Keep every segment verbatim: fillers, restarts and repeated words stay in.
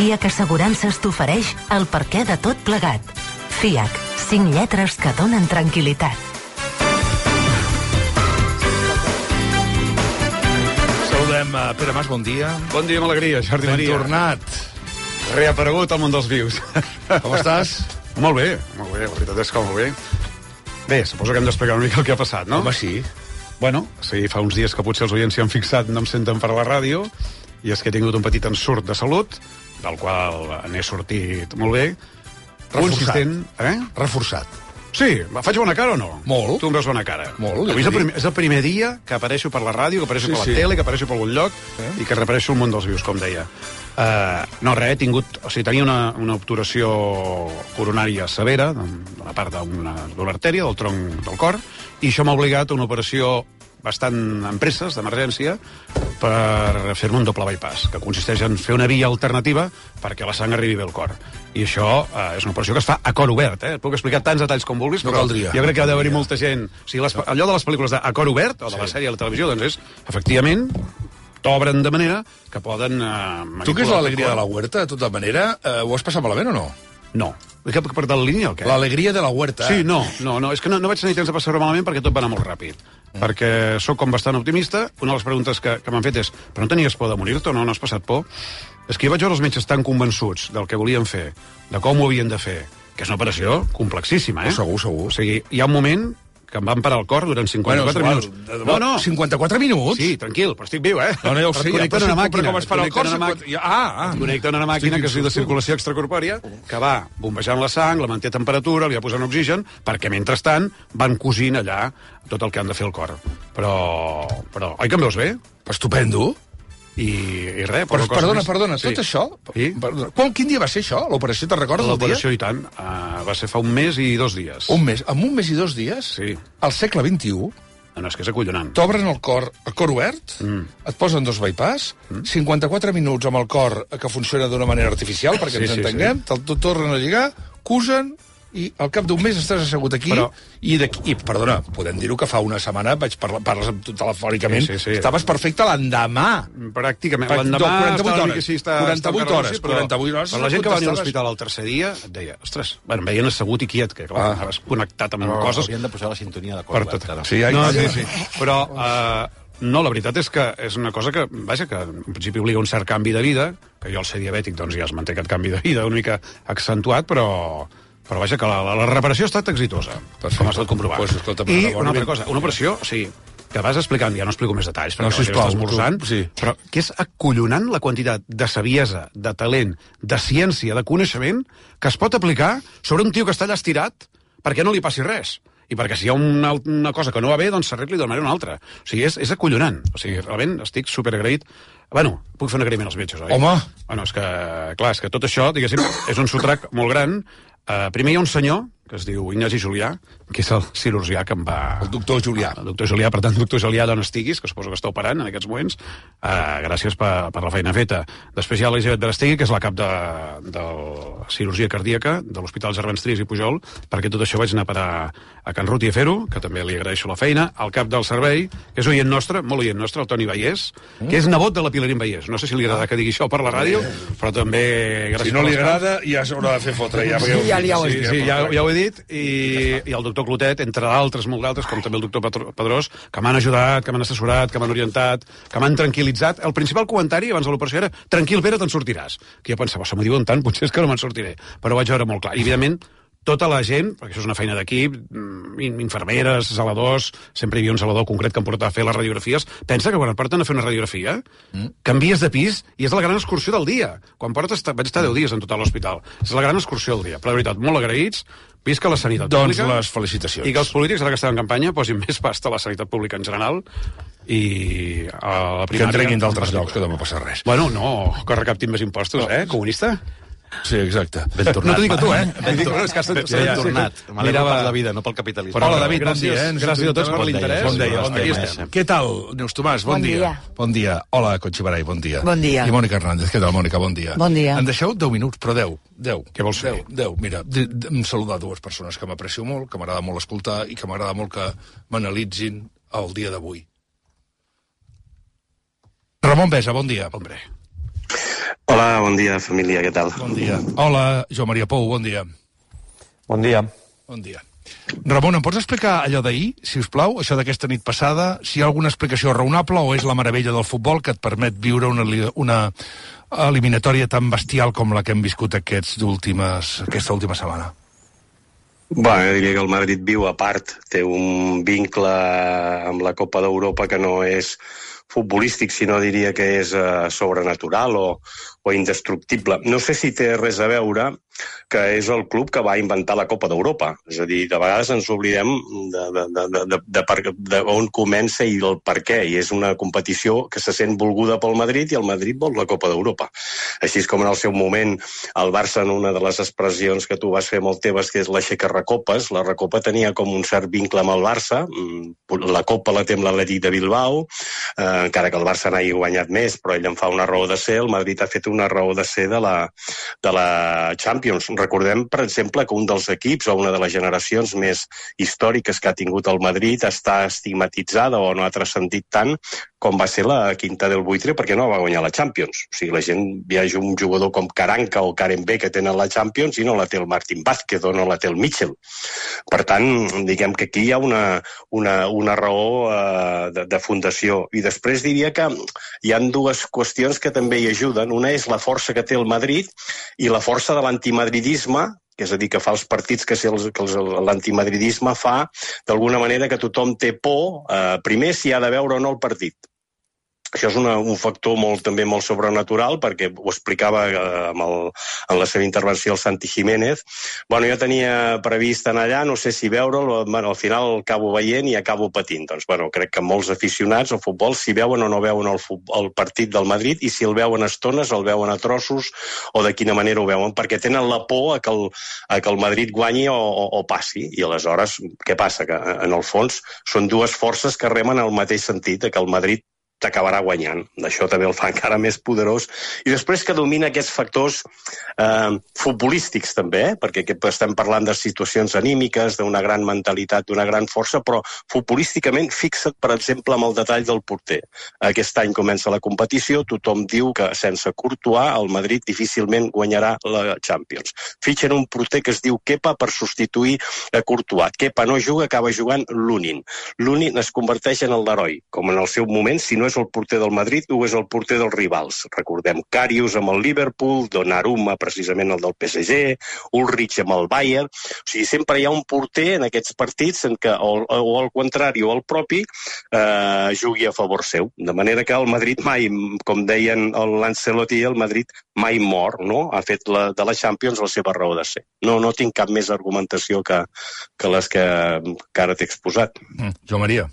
FIAC Assegurances t'ofereix el perquè de tot plegat. FIAC, cinc lletres que donen tranquil·litat. Saludem a Pere Mas, bon dia. Bon dia amb alegria, Jordi Ben Maria. tornat. Reaparegut al món dels vius. Com estàs? Molt bé, molt bé, la veritat és que molt bé. Bé, suposo que hem d'explicar una mica el que ha passat, no? Home, sí. Bueno, sí, fa uns dies que potser els oients s'hi han fixat, no em senten per la ràdio, i és que he tingut un petit ensurt de salut, del qual n'he sortit molt bé. Reforçat. Consistent, eh? Reforçat. Sí, faig bona cara o no? Molt. Tu em veus bona cara. Molt. Avui és el, primer, és el primer dia que apareixo per la ràdio, que apareixo Sí, per la sí. tele, que apareixo per algun lloc, Eh? i que reapareixo al món dels vius, com deia. Uh, no, res, he tingut... O sigui, tenia una, una obturació coronària severa, d'una part d'una d'una artèria, del tronc del cor, i això m'ha obligat a una operació bastant en presses, d'emergència, per fer-me un doble bypass, que consisteix en fer una via alternativa perquè la sang arribi bé al cor. I això eh, és una operació que es fa a cor obert, eh? Et puc explicar tants detalls com vulguis, No però caldria. jo crec que ha d'haver-hi molta gent... O sigui, les, allò de les pel·lícules de a cor obert, o de la sèrie a la televisió, doncs és, efectivament, t'obren de manera que poden... Eh, Tu, que és l'alegria de la huerta, de tota manera, eh, ho has passat malament o no? No. Que per de la línia o què? L'alegria de la huerta. Sí, no, no, no, és que no, no vaig tenir temps de passar-ho malament perquè tot va anar molt ràpid. Mm. Perquè sóc com bastant optimista. Una de les preguntes que, que m'han fet és però no tenies por de morir-te o no? No has passat por? És que jo vaig veure els metges tan convençuts del que volien fer, de com ho havien de fer, que és una operació complexíssima, eh? Oh, segur, segur. O sigui, hi ha un moment que em van parar el cor durant cinquanta-quatre Bueno, minuts. és igual. No, no. cinquanta-quatre minuts? Sí, tranquil, però estic viu, eh? No, no, ja ho Però sé, et connecten ja, a una però màquina. com es para el et connecten cor, a una cinquanta màquina. Ah, ah. Et connecten a una màquina Estic que es diu de insulto. circulació extracorpòria, que va bombejant la sang, la manté a temperatura, li va posant oxigen, perquè mentrestant van cosint allà tot el que han de fer el cor. Però, però oi que em veus bé? Estupendo. I, i res, Però, poca cosa perdona, més. perdona, Sí. tot això... Sí? Perdona, quan, quin dia va ser això, l'operació? Te'n recordes del dia? L'operació, i tant, uh, va ser fa un mes i dos dies. Un mes. En un mes i dos dies, Sí. al segle vint-i-u, No, no, és que és acollonant. t'obren el cor, el cor obert, Mm. et posen dos bypass, mm. cinquanta-quatre minuts amb el cor que funciona d'una manera artificial, perquè Sí, ens sí, entenguem, sí. te'l tornen a lligar, cusen, i al cap d'un mes estàs assegut aquí, Però- i, d'aquí, i, perdona, podem dir-ho que fa una setmana vaig parlar, parles amb tu telefònicament, Sí, sí, sí. estaves perfecte l'endemà. Pràcticament. Per- L'endemà quaranta-vuit estava una hores. mica així, està, quaranta-vuit està hores, sí, però, quaranta-vuit hores, però la gent que va venir a contestaves- l'hospital el tercer dia et deia, ostres, bueno, em veien assegut i quiet, que clar, Ah. anaves connectat amb Però coses haurien de posar la sintonia de cor per obert, tot. ara. Sí, ai, no, ai, sí, ai. sí. Però, uh, no, la veritat és que és una cosa que, vaja, que en principi obliga un cert canvi de vida, que jo al ser diabètic, doncs ja es manté aquest canvi de vida una mica accentuat, però... Però vaja, que la, la, la reparació ha estat exitosa, Perfecte. com has pot comprovar. Pues, escolta, I enhorabona. una altra cosa, una operació, o sigui, que vas explicant, ja no explico més detalls, perquè No, la gent sisplau, està esmorzant, tu- sí. però que és acollonant la quantitat de saviesa, de talent, de ciència, de coneixement, que es pot aplicar sobre un tio que està allà estirat perquè no li passi res. I perquè si hi ha una, una cosa que no va bé, doncs s'arregli de manera una altra. O sigui, és, és acollonant. O sigui, realment estic superagraït. Bueno, puc fer un agraïment als metges, oi? Home! Bueno, és que, clar, és que tot això, diguéssim, és un sotrac molt gran. Uh, primer hi ha un senyor, que es diu Ignasi Julià, que és el cirurgià que em va... El doctor Julià. El doctor Julià, per tant, doctor Julià, d'on estiguis, que suposo que està operant en aquests moments, uh, gràcies per, per la feina feta. Després hi ha l'Elisabet Berastegui, que és la cap de, de cirurgia cardíaca de l'Hospital Gervans Trias i Pujol, perquè tot això vaig anar a parar a Can Ruti a fer-ho, que també li agraeixo la feina, al cap del servei, que és oient nostre, molt oient nostre, el Toni Vallès, que és nebot de la Pilarín Vallès. No sé si li agrada que digui això per la ràdio, però també... gràcies Si no per li les agrada, ja s'haurà de fer fotre. Ja, Sí, ja li ho has Sí, dit. sí, ja, ja ho he dit, i, i el doctor Clotet, entre d'altres, molt d'altres, com també el doctor Patro- Pedrós, que m'han ajudat, que m'han assessorat, que m'han orientat, que m'han tranquil·litzat. El principal comentari abans de l'operació era tranquil, Pere, te'n sortiràs. Que jo pensava, se m'ho diuen tant, potser és que no me'n sortiré. Però ho vaig veure molt clar. I, evidentment, tota la gent, perquè això és una feina d'equip, mm, infermeres, zeladors, sempre hi havia un zelador concret que em portava a fer les radiografies, pensa que quan et porten a fer una radiografia, mm. canvies de pis i és la gran excursió del dia. Quan portes, vaig estar deu dies en total a l'hospital. És la gran excursió del dia. Però, de veritat, molt agraïts, visca la sanitat Doncs pública. les felicitacions. I que els polítics, ara que estan en campanya, posin més pasta a la sanitat pública en general i a la Que primària... en treguin d'altres en llocs, que no va passar res. Bueno, no, que recaptin més impostos, eh, comunista? Sí, exacte. Ben tornat. No t'ho dic a tu, eh? Ben, Dic, tor no, és que has- ben, sí, ben sí. tornat. M'alegro Mirava- per la vida, no pel capitalisme. Però- Hola, David, bon gràcies, dia. Eh? gràcies a tots per Bon dia, l'interès. Bon dia, Aquí estem. estem. Què tal, Neus Tomàs? Bon, Bon dia. dia. Bon dia. Hola, Conxibarai, bon dia. Bon dia. I Mònica Hernández, què tal, Mònica? Bon dia. Bon dia. Em deixeu deu minuts, però deu. Deu. Què vols fer? Deu, deu. Mira, de, de, em saludar dues persones que m'aprecio molt, que m'agrada molt escoltar i que m'agrada molt que m'analitzin el dia d'avui. Ramon Besa, bon dia. Hombre. Hola, bon dia, família, què tal? Bon dia. Hola, Joan Maria Pou, bon dia. Bon dia. Bon dia. Ramon, em pots explicar allò d'ahir, si us plau, això d'aquesta nit passada, si hi ha alguna explicació raonable o és la meravella del futbol que et permet viure una, una eliminatòria tan bestial com la que hem viscut aquests últimes, aquesta última setmana? Bueno, jo diria que el Madrid viu a part, té un vincle amb la Copa d'Europa que no és futbolístic, sinó diria que és uh, sobrenatural o, o indestructible. No sé si té res a veure que és el club que va inventar la Copa d'Europa. És a dir, de vegades ens oblidem de, de, de, de, de, de, de on comença i el per què. I és una competició que se sent volguda pel Madrid i el Madrid vol la Copa d'Europa. Així com en el seu moment el Barça, en una de les expressions que tu vas fer molt teves, que és l'aixeca-recopes, la Recopa tenia com un cert vincle amb el Barça. La Copa la té amb l'Atlètic de Bilbao, eh, encara que el Barça n'hagi guanyat més, però ell en fa una raó de ser. El Madrid ha fet una raó de ser de la, de la Champions. Recordem, per exemple, que un dels equips o una de les generacions més històriques que ha tingut el Madrid està estigmatitzada o no ha transcendit tant com va ser la Quinta del Buitre perquè no va guanyar la Champions. O sigui, la gent viatja un jugador com Karanka o Karen B que tenen la Champions i no la té el Martín Vázquez o no la té el Mitchell. Per tant, diguem que aquí hi ha una, una, una raó eh, de, de fundació. I després diria que hi ha dues qüestions que també hi ajuden. Una és la força que té el Madrid i la força de l'antimadridisme, que és a dir, que fa els partits que, si els, que els, l'antimadridisme fa d'alguna manera que tothom té por, eh, primer si ha de veure o no el partit. Això és una, un factor molt, també molt sobrenatural, perquè ho explicava eh, amb el, en la seva intervenció el Santi Jiménez. Bueno, jo tenia previst anar allà, no sé si veure'l, bueno, al final acabo veient i acabo patint. Doncs, bueno, crec que molts aficionats al futbol, si veuen o no veuen el, el partit del Madrid, i si el veuen a estones, el veuen a trossos, o de quina manera ho veuen, perquè tenen la por a que el, a que el Madrid guanyi o, o, o passi. I aleshores, què passa? Que, en el fons, són dues forces que remen al mateix sentit, que el Madrid t'acabarà guanyant. Això també el fa encara més poderós. I després que domina aquests factors eh, futbolístics també, eh? Perquè estem parlant de situacions anímiques, d'una gran mentalitat, d'una gran força, però futbolísticament fixa't, per exemple, amb el detall del porter. Aquest any comença la competició, tothom diu que sense Courtois el Madrid difícilment guanyarà la Champions. Fitxen un porter que es diu Kepa per substituir a Courtois. Kepa no juga, acaba jugant Lunin. Lunin es converteix en el l'heroi, com en el seu moment, si no és el porter del Madrid o és el porter dels rivals. Recordem Karius amb el Liverpool, Donnarumma precisament el del P S G, Ulrich amb el Bayern. O sigui, sempre hi ha un porter en aquests partits en què, o, o al contrari o al propi, eh, jugui a favor seu. De manera que el Madrid mai, com deien l'Ancelotti, el Madrid mai mor, no? Ha fet la, de la Champions la seva raó de ser. No, no tinc cap més argumentació que, que les que, que ara t'he exposat. Mm, Joan Maria.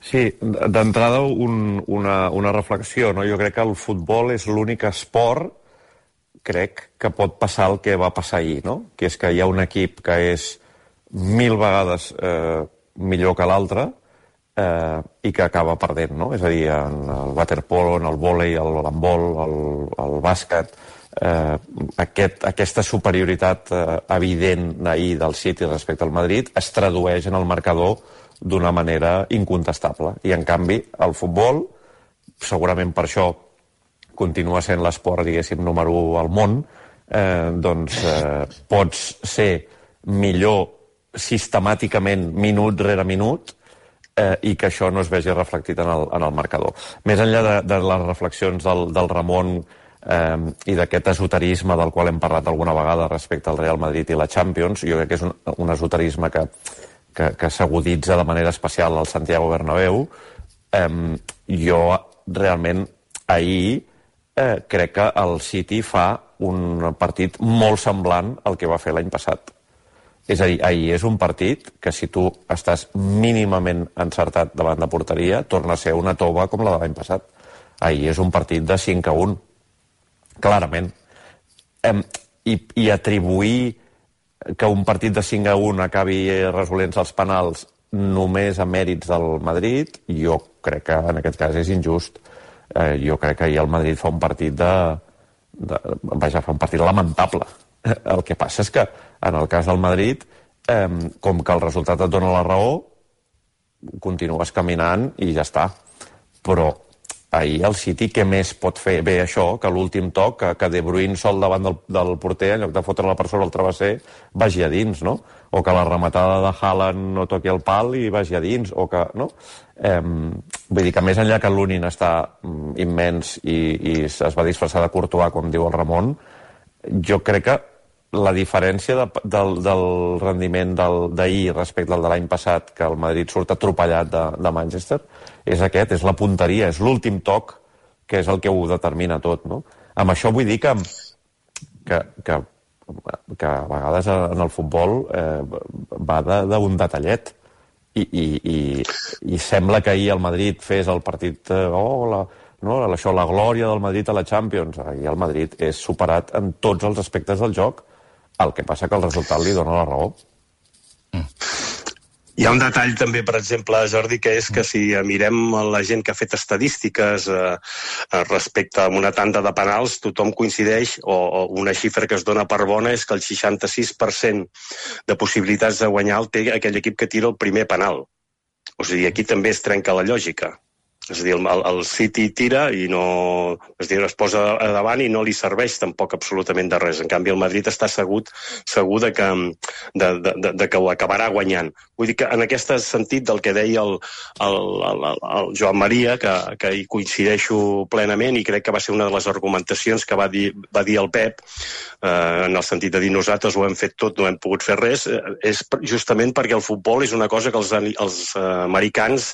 Sí, d'entrada un, una, una reflexió, no? Jo crec que el futbol és l'únic esport, crec, que pot passar el que va passar ahir, no? Que és que hi ha un equip que és mil vegades eh, millor que l'altre eh, i que acaba perdent, no? És a dir, en el waterpolo, en el vòlei, l'handbol, el, el bàsquet, eh, aquest, aquesta superioritat eh, evident ahir del City respecte al Madrid es tradueix en el marcador d'una manera incontestable. I, en canvi, el futbol, segurament per això continua sent l'esport, diguéssim, número u al món, eh, doncs eh, pots ser millor sistemàticament minut rere minut eh, i que això no es vegi reflectit en el, en el marcador. Més enllà de, de les reflexions del, del Ramon eh, i d'aquest esoterisme del qual hem parlat alguna vegada respecte al Real Madrid i la Champions, jo crec que és un, un esoterisme que que, que s'aguditza de manera especial al Santiago Bernabéu. Eh, jo realment ahir eh, crec que el City fa un partit molt semblant al que va fer l'any passat. És a dir, ahir és un partit que si tu estàs mínimament encertat davant de porteria, torna a ser una tova com la de l'any passat. Ahir és un partit de cinc a un, clarament. Eh, i, I atribuir que un partit de cinc a un acabi resolent els penals només a mèrits del Madrid, jo crec que en aquest cas és injust. Eh, jo crec que ahir el Madrid fa un partit de, de... Vaja, fa un partit lamentable. El que passa és que, en el cas del Madrid, eh, com que el resultat et dona la raó, continues caminant i ja està. Però ahir el City què més pot fer? Bé, això, que l'últim toc, que, que De Bruyne sol davant del, del porter, en lloc de fotre-la per sobre el travesser, vagi a dins, no? O que la rematada de Haaland no toqui el pal i vagi a dins, o que... no? Eh, vull dir que més enllà que l'Unin està mm, immens i, i es va disfressar de Courtois, com diu el Ramon, jo crec que la diferència de, del, del rendiment d'ahir respecte al de l'any passat, que el Madrid surt atropellat de, de Manchester, és aquest, és la punteria, és l'últim toc que és el que ho determina tot, no? Amb això vull dir que, que, que, que a vegades en el futbol eh, va d'un detallet i, i, i, i sembla que ahir el Madrid fes el partit eh, oh, la, no, això, la glòria del Madrid a la Champions. Ahir el Madrid és superat en tots els aspectes del joc. El que passa que el resultat li dona la raó. Mm. Hi ha un detall també, per exemple, Jordi, que és que si mirem la gent que ha fet estadístiques eh, respecte a una tanda de penals, tothom coincideix, o, o una xifra que es dona per bona és que el seixanta-sis per cent de possibilitats de guanyar el té aquell equip que tira el primer penal. O sigui, aquí també es trenca la lògica. És a dir, el, el City tira i no... És a dir, es posa a davant i no li serveix tampoc absolutament de res. En canvi, el Madrid està segur, segur de, que, de, de, de que ho acabarà guanyant. Vull dir que en aquest sentit del que deia el, el, el, el Joan Maria, que, que hi coincideixo plenament i crec que va ser una de les argumentacions que va dir, va dir el Pep, eh, en el sentit de dir nosaltres ho hem fet tot, no hem pogut fer res, eh, és justament perquè el futbol és una cosa que els, els eh, americans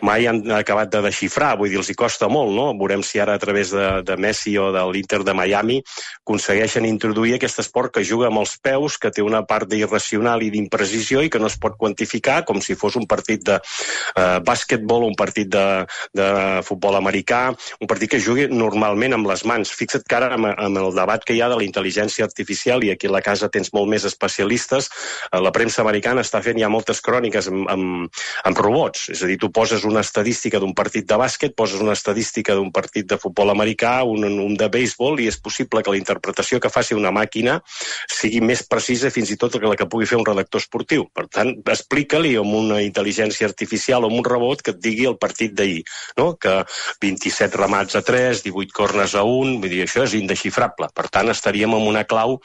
mai han acabat de xifrar, vull dir, els hi costa molt, no? Veurem si ara a través de, de Messi o de l'Inter de Miami aconsegueixen introduir aquest esport que juga amb els peus, que té una part d'irracional i d'imprecisió i que no es pot quantificar com si fos un partit de eh, bàsquetbol, un partit de, de futbol americà, un partit que jugui normalment amb les mans. Fixa't que ara amb, amb el debat que hi ha de la intel·ligència artificial, i aquí a la casa tens molt més especialistes, eh, la premsa americana està fent ja moltes cròniques amb, amb, amb robots, és a dir, tu poses una estadística d'un partit de bàsquet, poses una estadística d'un partit de futbol americà, un, un de béisbol, i és possible que la interpretació que faci una màquina sigui més precisa fins i tot que la que pugui fer un redactor esportiu. Per tant, explica-li amb una intel·ligència artificial o amb un robot que et digui el partit d'ahir, no? Que vint-i-set remats a tres, divuit corners a un, vull dir, això és indexifrable. Per tant, estaríem amb una clau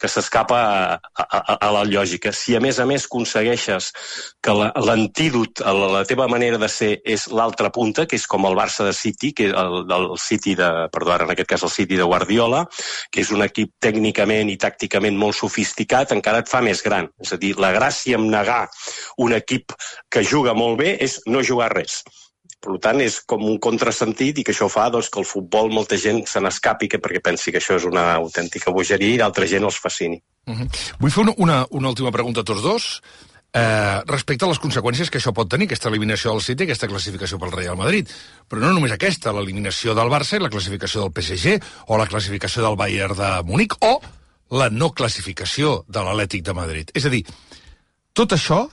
que s'escapa a, a, a la lògica. Si a més a més aconsegueixes que l'antídot a la, la teva manera de ser és l'altra punta, que és com el Barça de City, que el, el City de, perdó, ara en aquest cas el City de Guardiola, que és un equip tècnicament i tàcticament molt sofisticat, encara et fa més gran. És a dir, la gràcia en negar un equip que juga molt bé és no jugar res. Per tant, és com un contrasentit i que això fa doncs, que el futbol molta gent se n'escapi que perquè pensi que això és una autèntica bogeria i d'altra gent els fascini. Uh-huh. Vull fer una, una, una última pregunta a tots dos. Eh, respecte a les conseqüències que això pot tenir, aquesta eliminació del City, aquesta classificació pel Real Madrid. Però no només aquesta, l'eliminació del Barça i la classificació del P S G, o la classificació del Bayern de Múnich, o la no classificació de l'Atlètic de Madrid. És a dir, tot això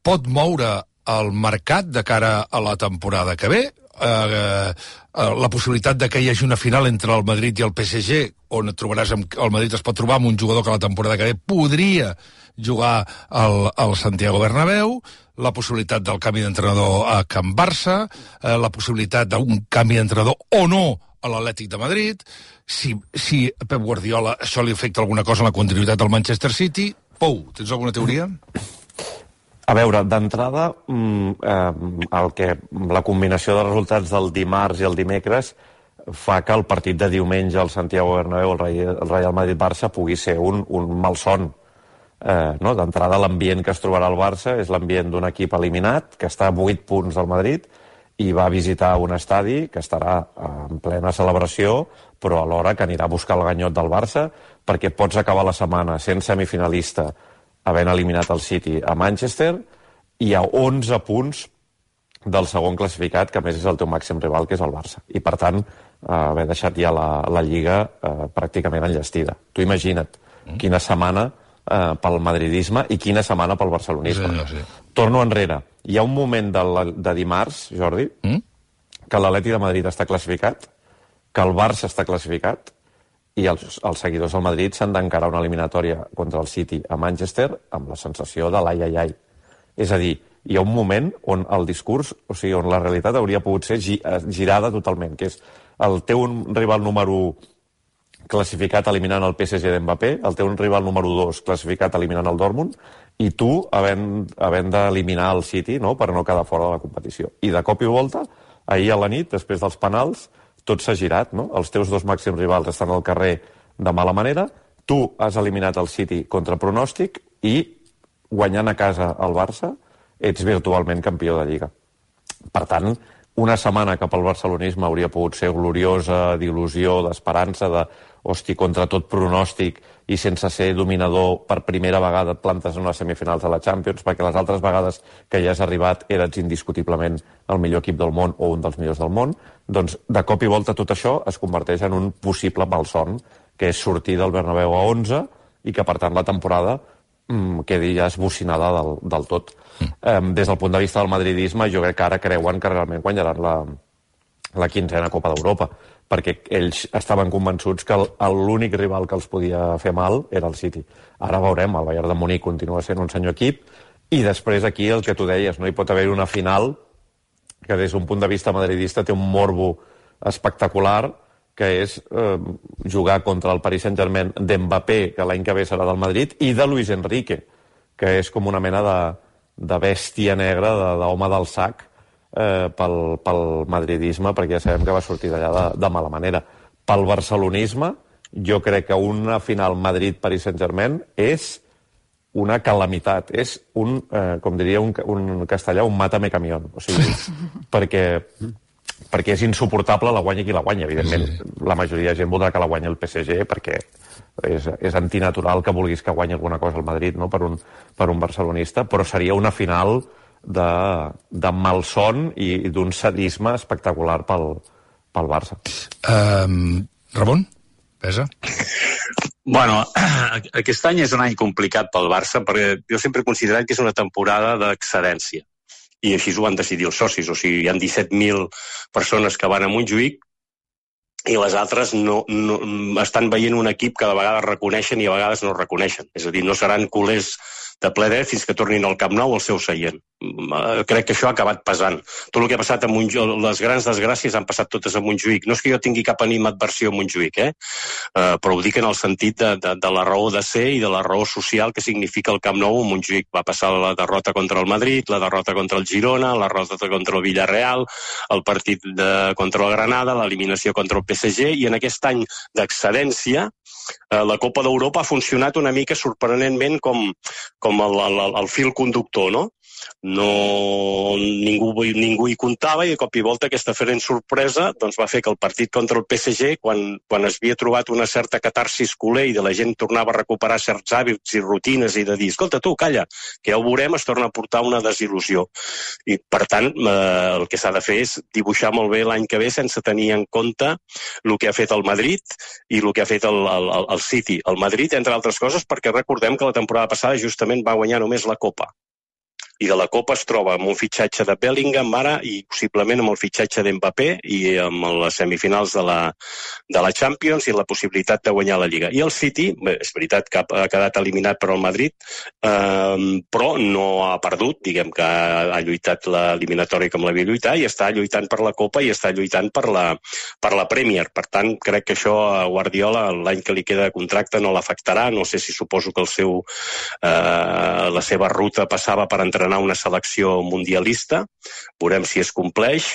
pot moure el mercat de cara a la temporada que ve, eh, eh, la possibilitat de que hi hagi una final entre el Madrid i el P S G, on et trobaràs amb, el Madrid es pot trobar amb un jugador que la temporada que ve podria jugar al, al Santiago Bernabéu, la possibilitat del canvi d'entrenador a Can Barça, eh, la possibilitat d'un canvi d'entrenador o no a l'Atlètic de Madrid, si, si a Pep Guardiola això li afecta alguna cosa en la continuïtat del Manchester City. Pou, tens alguna teoria? A veure, d'entrada, eh, el que, la combinació de resultats del dimarts i el dimecres fa que el partit de diumenge al Santiago Bernabéu, el Real Madrid-Barça, pugui ser un, un malson. Eh, no? D'entrada, l'ambient que es trobarà al Barça és l'ambient d'un equip eliminat, que està a vuit punts del Madrid, i va visitar un estadi que estarà en plena celebració, però alhora que anirà a buscar el ganyot del Barça, perquè pots acabar la setmana sent semifinalista, havent eliminat el City a Manchester, i a onze punts del segon classificat, que a més és el teu màxim rival, que és el Barça. I, per tant, eh, haver deixat ja la, la Lliga eh, pràcticament enllestida. Tu imagina't mm. quina setmana eh, pel madridisme i quina setmana pel barcelonisme. Sí, sí. Torno enrere. Hi ha un moment de, la, de dimarts, Jordi, mm? que l'Atlètic de Madrid està classificat, que el Barça està classificat, i els, els seguidors del Madrid s'han d'encarar una eliminatòria contra el City a Manchester amb la sensació de l'ai, ai, ai. És a dir, hi ha un moment on el discurs, o sigui, on la realitat hauria pogut ser girada totalment, que és el teu rival número u classificat eliminant el P S G d'Mbappé, el teu rival número dos classificat eliminant el Dortmund, i tu havent, havent d'eliminar el City, no?, per no quedar fora de la competició. I de cop i volta, ahir a la nit, després dels penals, tot s'ha girat, no? Els teus dos màxims rivals estan al carrer de mala manera, tu has eliminat el City contra pronòstic i, guanyant a casa el Barça, ets virtualment campió de Lliga. Per tant, una setmana que pel barcelonisme hauria pogut ser gloriosa, d'il·lusió, d'esperança, de, hosti, contra tot pronòstic i sense ser dominador per primera vegada et plantes en les semifinals de la Champions, perquè les altres vegades que ja has arribat eres indiscutiblement el millor equip del món o un dels millors del món, doncs de cop i volta tot això es converteix en un possible malson, que és sortir del Bernabéu a onze i que per tant la temporada mm, quedi ja esbocinada del, del tot. Mm. Um, des del punt de vista del madridisme, jo crec que ara creuen que realment guanyaran la, la quinzena Copa d'Europa, perquè ells estaven convençuts que l'únic rival que els podia fer mal era el City. Ara veurem, el Bayern de Munic continua sent un senyor equip, i després aquí el que tu deies, no hi pot haver una final que des d'un punt de vista madridista té un morbo espectacular, que és eh, jugar contra el Paris Saint-Germain d'Mbappé, que l'any que ve serà del Madrid, i de Luis Enrique, que és com una mena de, de bèstia negra, d'home del sac, eh, pel, pel madridisme, perquè ja sabem que va sortir d'allà de, de mala manera. Pel barcelonisme, jo crec que una final Madrid-Paris Saint-Germain és una calamitat, és un, eh, com diria un, un castellà, un mátame camión. O sigui, perquè... perquè és insuportable la guanya qui la guanya, evidentment. Sí. La majoria de gent voldrà que la guanyi el P S G perquè és, és antinatural que vulguis que guanyi alguna cosa al Madrid, no?, per un, per un barcelonista, però seria una final de, de malson i d'un sadisme espectacular pel, pel Barça. Um, Ramon, pesa? Bueno, aquest any és un any complicat pel Barça perquè jo sempre he considerat que és una temporada d'excedència. I així ho van decidir els socis, o sigui, hi ha disset mil persones que van a Montjuïc i les altres no, no, estan veient un equip que de vegades reconeixen i a vegades no reconeixen. És a dir, no seran culers de ple dret fins que tornin al Camp Nou al seu seient. Crec que això ha acabat pesant. Tot el que ha passat a Montjuïc, les grans desgràcies han passat totes a Montjuïc. No és que jo tingui cap animadversió a Montjuïc, eh? Uh, però ho dic en el sentit de, de, de la raó de ser i de la raó social que significa el Camp Nou a Montjuïc. Va passar la derrota contra el Madrid, la derrota contra el Girona, la derrota contra el Villarreal, el partit de, contra el Granada, l'eliminació contra el P S G, i en aquest any d'excedència uh, la Copa d'Europa ha funcionat una mica sorprenentment com, com el, el, el fil conductor, no? No, ningú, ningú hi comptava i de cop i volta aquesta diferent sorpresa doncs va fer que el partit contra el P S G, quan, quan es havia trobat una certa catarsis culer i de la gent tornava a recuperar certs hàbits i rutines i de dir, escolta tu, calla, que ja ho veurem, es torna a portar una desil·lusió. I per tant, eh, el que s'ha de fer és dibuixar molt bé l'any que ve sense tenir en compte el que ha fet el Madrid i el que ha fet el, el, el City. El Madrid, entre altres coses, perquè recordem que la temporada passada justament va guanyar només la Copa. I de la Copa es troba amb un fitxatge de Bellingham ara i possiblement amb el fitxatge d'Mbappé i amb les semifinals de la, de la Champions i la possibilitat de guanyar la Lliga. I el City, bé, és veritat que ha quedat eliminat per al Madrid, eh, però no ha perdut, diguem que ha lluitat l'eliminatòria com l'havia lluitat i està lluitant per la Copa i està lluitant per la, per la Premier. Per tant, crec que això a Guardiola l'any que li queda de contracte no l'afectarà. No sé si suposo que el seu, eh, la seva ruta passava per entrenar una selecció mundialista, veurem si es compleix,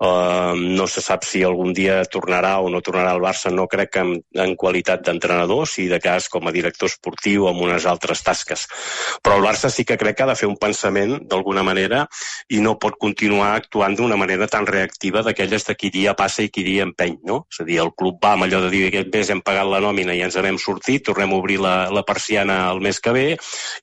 uh, no se sap si algun dia tornarà o no tornarà al Barça, no crec que en, en qualitat d'entrenador, si de cas com a director esportiu amb unes altres tasques, però el Barça sí que crec que ha de fer un pensament d'alguna manera i no pot continuar actuant d'una manera tan reactiva d'aquelles de qui dia passa i qui dia empeny, no? És a dir, el club va amb allò de dir aquest mes hem pagat la nòmina i ens n'hem sortit, tornem a obrir la, la persiana el mes que ve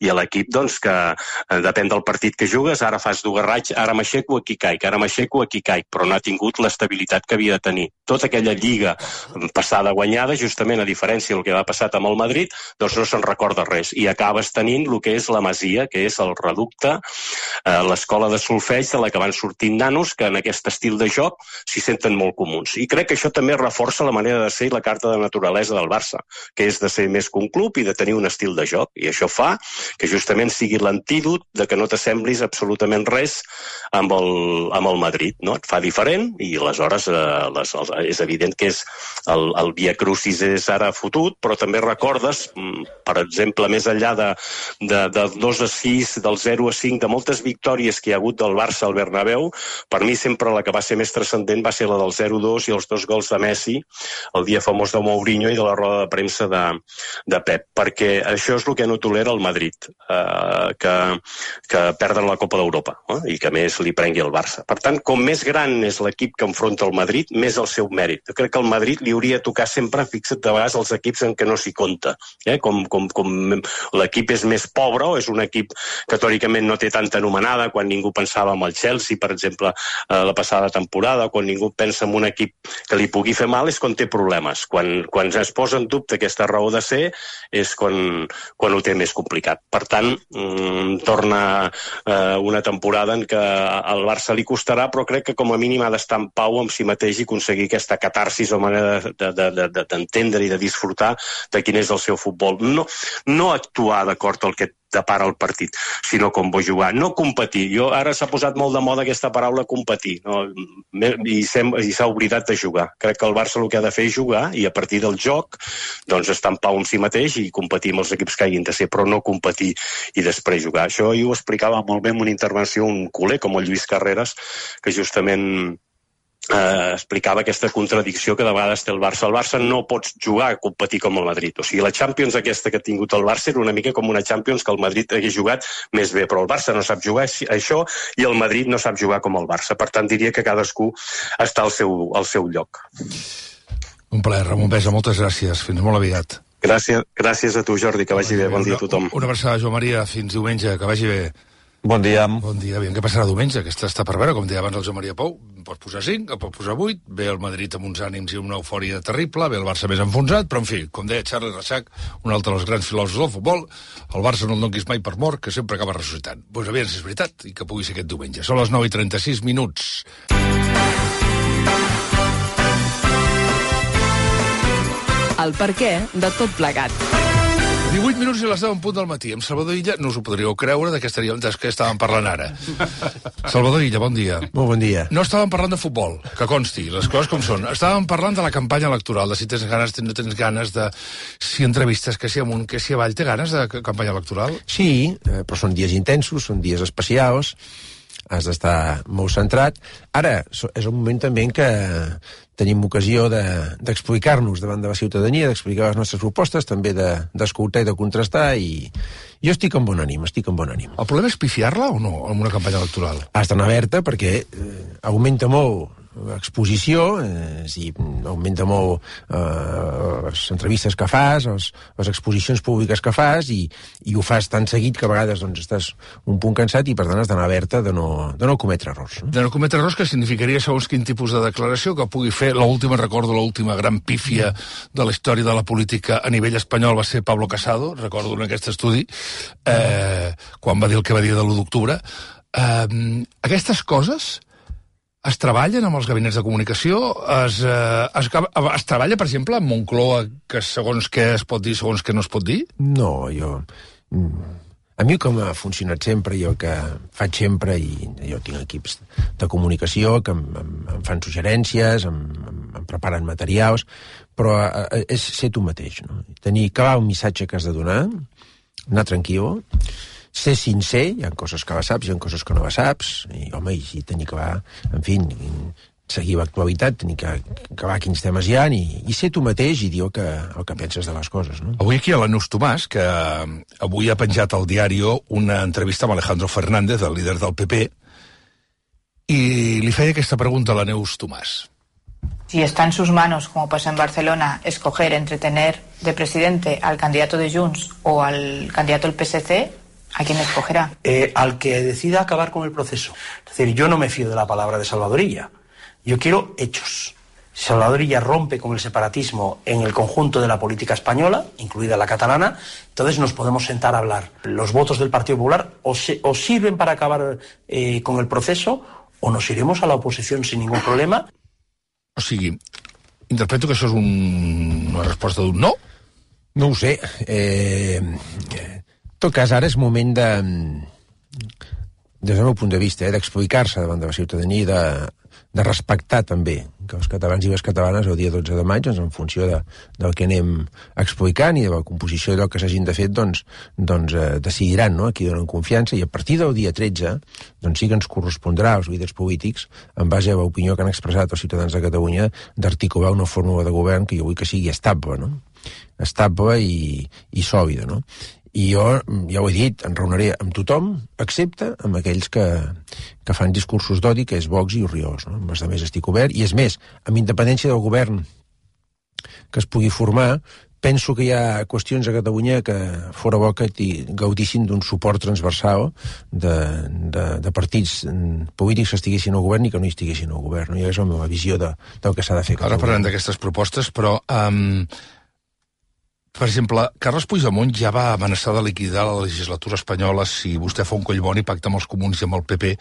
i a l'equip doncs que eh, depèn del partit que jugues, ara fas d'ugarraig, ara m'aixeco, aquí caic, ara m'aixeco, aquí caic, però no ha tingut l'estabilitat que havia de tenir. Tota aquella lliga passada guanyada, justament a diferència del que va passar amb el Madrid, doncs no se'n recorda res, i acabes tenint el que és la Masia, que és el reducte, eh, l'escola de solfeig de la que van sortint nanos que en aquest estil de joc s'hi senten molt comuns. I crec que això també reforça la manera de ser i la carta de naturalesa del Barça, que és de ser més que un club i de tenir un estil de joc, i això fa que justament sigui l'antídot de que no te t'assemblis absolutament res amb el, amb el Madrid, no? Et fa diferent i aleshores eh, les, els, és evident que és el, el Via Crucis és ara fotut, però també recordes, per exemple, més enllà de, de, de dos a sis, del zero a cinc, de moltes victòries que hi ha hagut del Barça al Bernabéu, per mi sempre la que va ser més transcendent va ser la del zero a dos i els dos gols de Messi, el dia famós de Mourinho i de la roda de premsa de, de Pep, perquè això és el que no tolera el Madrid, eh, que, que perdre la Copa d'Europa, eh, i que més li prengui el Barça. Per tant, com més gran és l'equip que enfronta el Madrid, més el seu mèrit. Jo crec que el Madrid li hauria de tocar sempre, fixa't de vegades, els equips en què no s'hi compta. Eh? Com, com, com l'equip és més pobre o és un equip que teòricament no té tanta anomenada, quan ningú pensava en el Chelsea, per exemple, eh, la passada temporada, quan ningú pensa en un equip que li pugui fer mal, és quan té problemes. Quan, quan es posa en dubte aquesta raó de ser, és quan, quan ho té més complicat. Per tant, mmm, torna eh, una temporada en què al Barça li costarà, però crec que com a mínim ha d'estar en pau amb si mateix i aconseguir aquesta catarsis o manera d'entendre de, de, de, i de disfrutar de quin és el seu futbol. No, no actuar d'acord al que depara el partit, sinó com vull jugar. No competir. Jo, ara s'ha posat molt de moda aquesta paraula competir, no? I s'ha oblidat de jugar. Crec que el Barça el que ha de fer és jugar i a partir del joc doncs estar en pau amb si mateix i competir amb els equips que hagin de ser, però no competir i després jugar. Això jo ho explicava molt bé en una intervenció un culer com el Lluís Carreras, que justament Eh, explicava aquesta contradicció que de vegades té el Barça. El Barça no pots jugar a competir com el Madrid. O sigui, la Champions aquesta que ha tingut el Barça era una mica com una Champions que el Madrid hagués jugat més bé, però el Barça no sap jugar això i el Madrid no sap jugar com el Barça. Per tant, diria que cadascú està al seu, al seu lloc. Un plaer, Ramon Besa, moltes gràcies. Fins molt aviat. Gràcies, gràcies a tu, Jordi, que vagi bé. Bon dia a tothom. Una abraçada, Joan Maria. Fins diumenge, que vagi bé. Bon dia. Bon dia. Aviam què passarà diumenge. Aquesta està per veure, com deia abans el Joan Maria Pou. Pots posar cinc, o pots posar vuit. Ve el Madrid amb uns ànims i una eufòria terrible. Ve el Barça més enfonsat. Però, en fi, com deia Charles Reixac, un altre dels grans filòsofs del futbol, el Barça no el donquis mai per mort, que sempre acaba ressuscitant. Doncs pues, aviam si és veritat i que pugui ser aquest diumenge. Són les nou i trenta-sis minuts. El perquè de tot plegat. divuit minuts i les deu en punt del matí. Amb Salvador Illa no us ho podríeu creure de què estaríem, de què estàvem parlant ara. Salvador Illa, bon dia. Molt bon dia. No estàvem parlant de futbol, que consti, les coses com són. Estàvem parlant de la campanya electoral, de si tens ganes, si no tens ganes, de si entrevistes, que si amunt, que si avall. Té ganes de campanya electoral? Sí, però són dies intensos, són dies especials, has d'estar molt centrat. Ara, és un moment també en què tenim ocasió d'explicar-nos davant de la ciutadania, d'explicar les nostres propostes, també d'escoltar i de contrastar, i jo estic en bon ànim, estic en bon ànim. El problema és pifiar-la o no, en una campanya electoral? Has d'anar alerta perquè eh, augmenta molt l'exposició, eh, és a dir, augmenta molt eh, les entrevistes que fas, les, les exposicions públiques que fas, i, i ho fas tan seguit que a vegades doncs, estàs un punt cansat i per tant has d'anar alerta de no, de no cometre errors. No? De no cometre errors, que significaria segons quin tipus de declaració que pugui fer l'última, recordo l'última gran pífia de la història de la política a nivell espanyol va ser Pablo Casado, recordo en aquest estudi, eh, quan va dir el que va dir de l'u d'octubre. Eh, aquestes coses es treballen amb els gabinets de comunicació? Es, eh, es, es treballa, per exemple, amb Moncloa, que segons què es pot dir, segons què no es pot dir? No, jo... A mi com ha funcionat sempre, jo que faig sempre, i jo tinc equips de comunicació que em, em, em fan suggerències, em, em, em preparen materials, però és ser tu mateix, no? Tenir clar un missatge que has de donar, anar tranquil, ser sincer, hi ha coses que la saps, hi ha coses que no la saps, i home, i tenir que va, en fi, seguir l'actualitat, tenir que acabar quins temes hi ha, i, i ser tu mateix i dir el que, el que penses de les coses, no? Avui aquí a la Neus Tomàs, que avui ha penjat al diario una entrevista amb Alejandro Fernández, el líder del P P, i li feia aquesta pregunta a la Neus Tomàs. Si está en sus manos, como pasa en Barcelona, escoger entre tener de presidente al candidato de Junts o al candidato del P S C, ¿a quién escogerá? Eh, al que decida acabar con el proceso. Es decir, yo no me fío de la palabra de Salvador Illa. Yo quiero hechos. Si Salvador Illa rompe con el separatismo en el conjunto de la política española, incluida la catalana, entonces nos podemos sentar a hablar. Los votos del Partido Popular o, se, o sirven para acabar eh, con el proceso o nos iremos a la oposición sin ningún problema. O sigui, interpreto que això és un, una resposta d'un no? No ho sé. Eh, en tot cas, ara és moment de, des del meu punt de vista, eh, d'explicar-se davant de la ciutadania i de, de respectar també que els catalans i les catalanes el dia dotze de maig, doncs, en funció de, del que anem explicant i de la composició d'allò que s'hagin de fer, doncs, doncs eh, decidiran, no?, a qui donen confiança, i a partir del dia tretze doncs sí que ens correspondrà als líders polítics, en base a l'opinió que han expressat els ciutadans de Catalunya, d'articular una fórmula de govern que jo vull que sigui estable, no?, estable i, i sòlida, no? I jo, ja ho he dit, em reuniré amb tothom, excepte amb aquells que, que fan discursos d'odi, que és Vox i Orriols, no? Amb els altres estic obert, i és més, amb independència del govern que es pugui formar, penso que hi ha qüestions a Catalunya que fora bo que gaudissin d'un suport transversal de, de, de partits polítics que estiguessin al govern i que no hi estiguessin al govern, no? I és la meva visió de, del que s'ha de fer. Ara parlem d'aquestes propostes, però... Um... Per exemple, Carles Puigdemont ja va amenaçar de liquidar la legislatura espanyola si vostè fa un collboni, pacta amb els comuns i amb el P P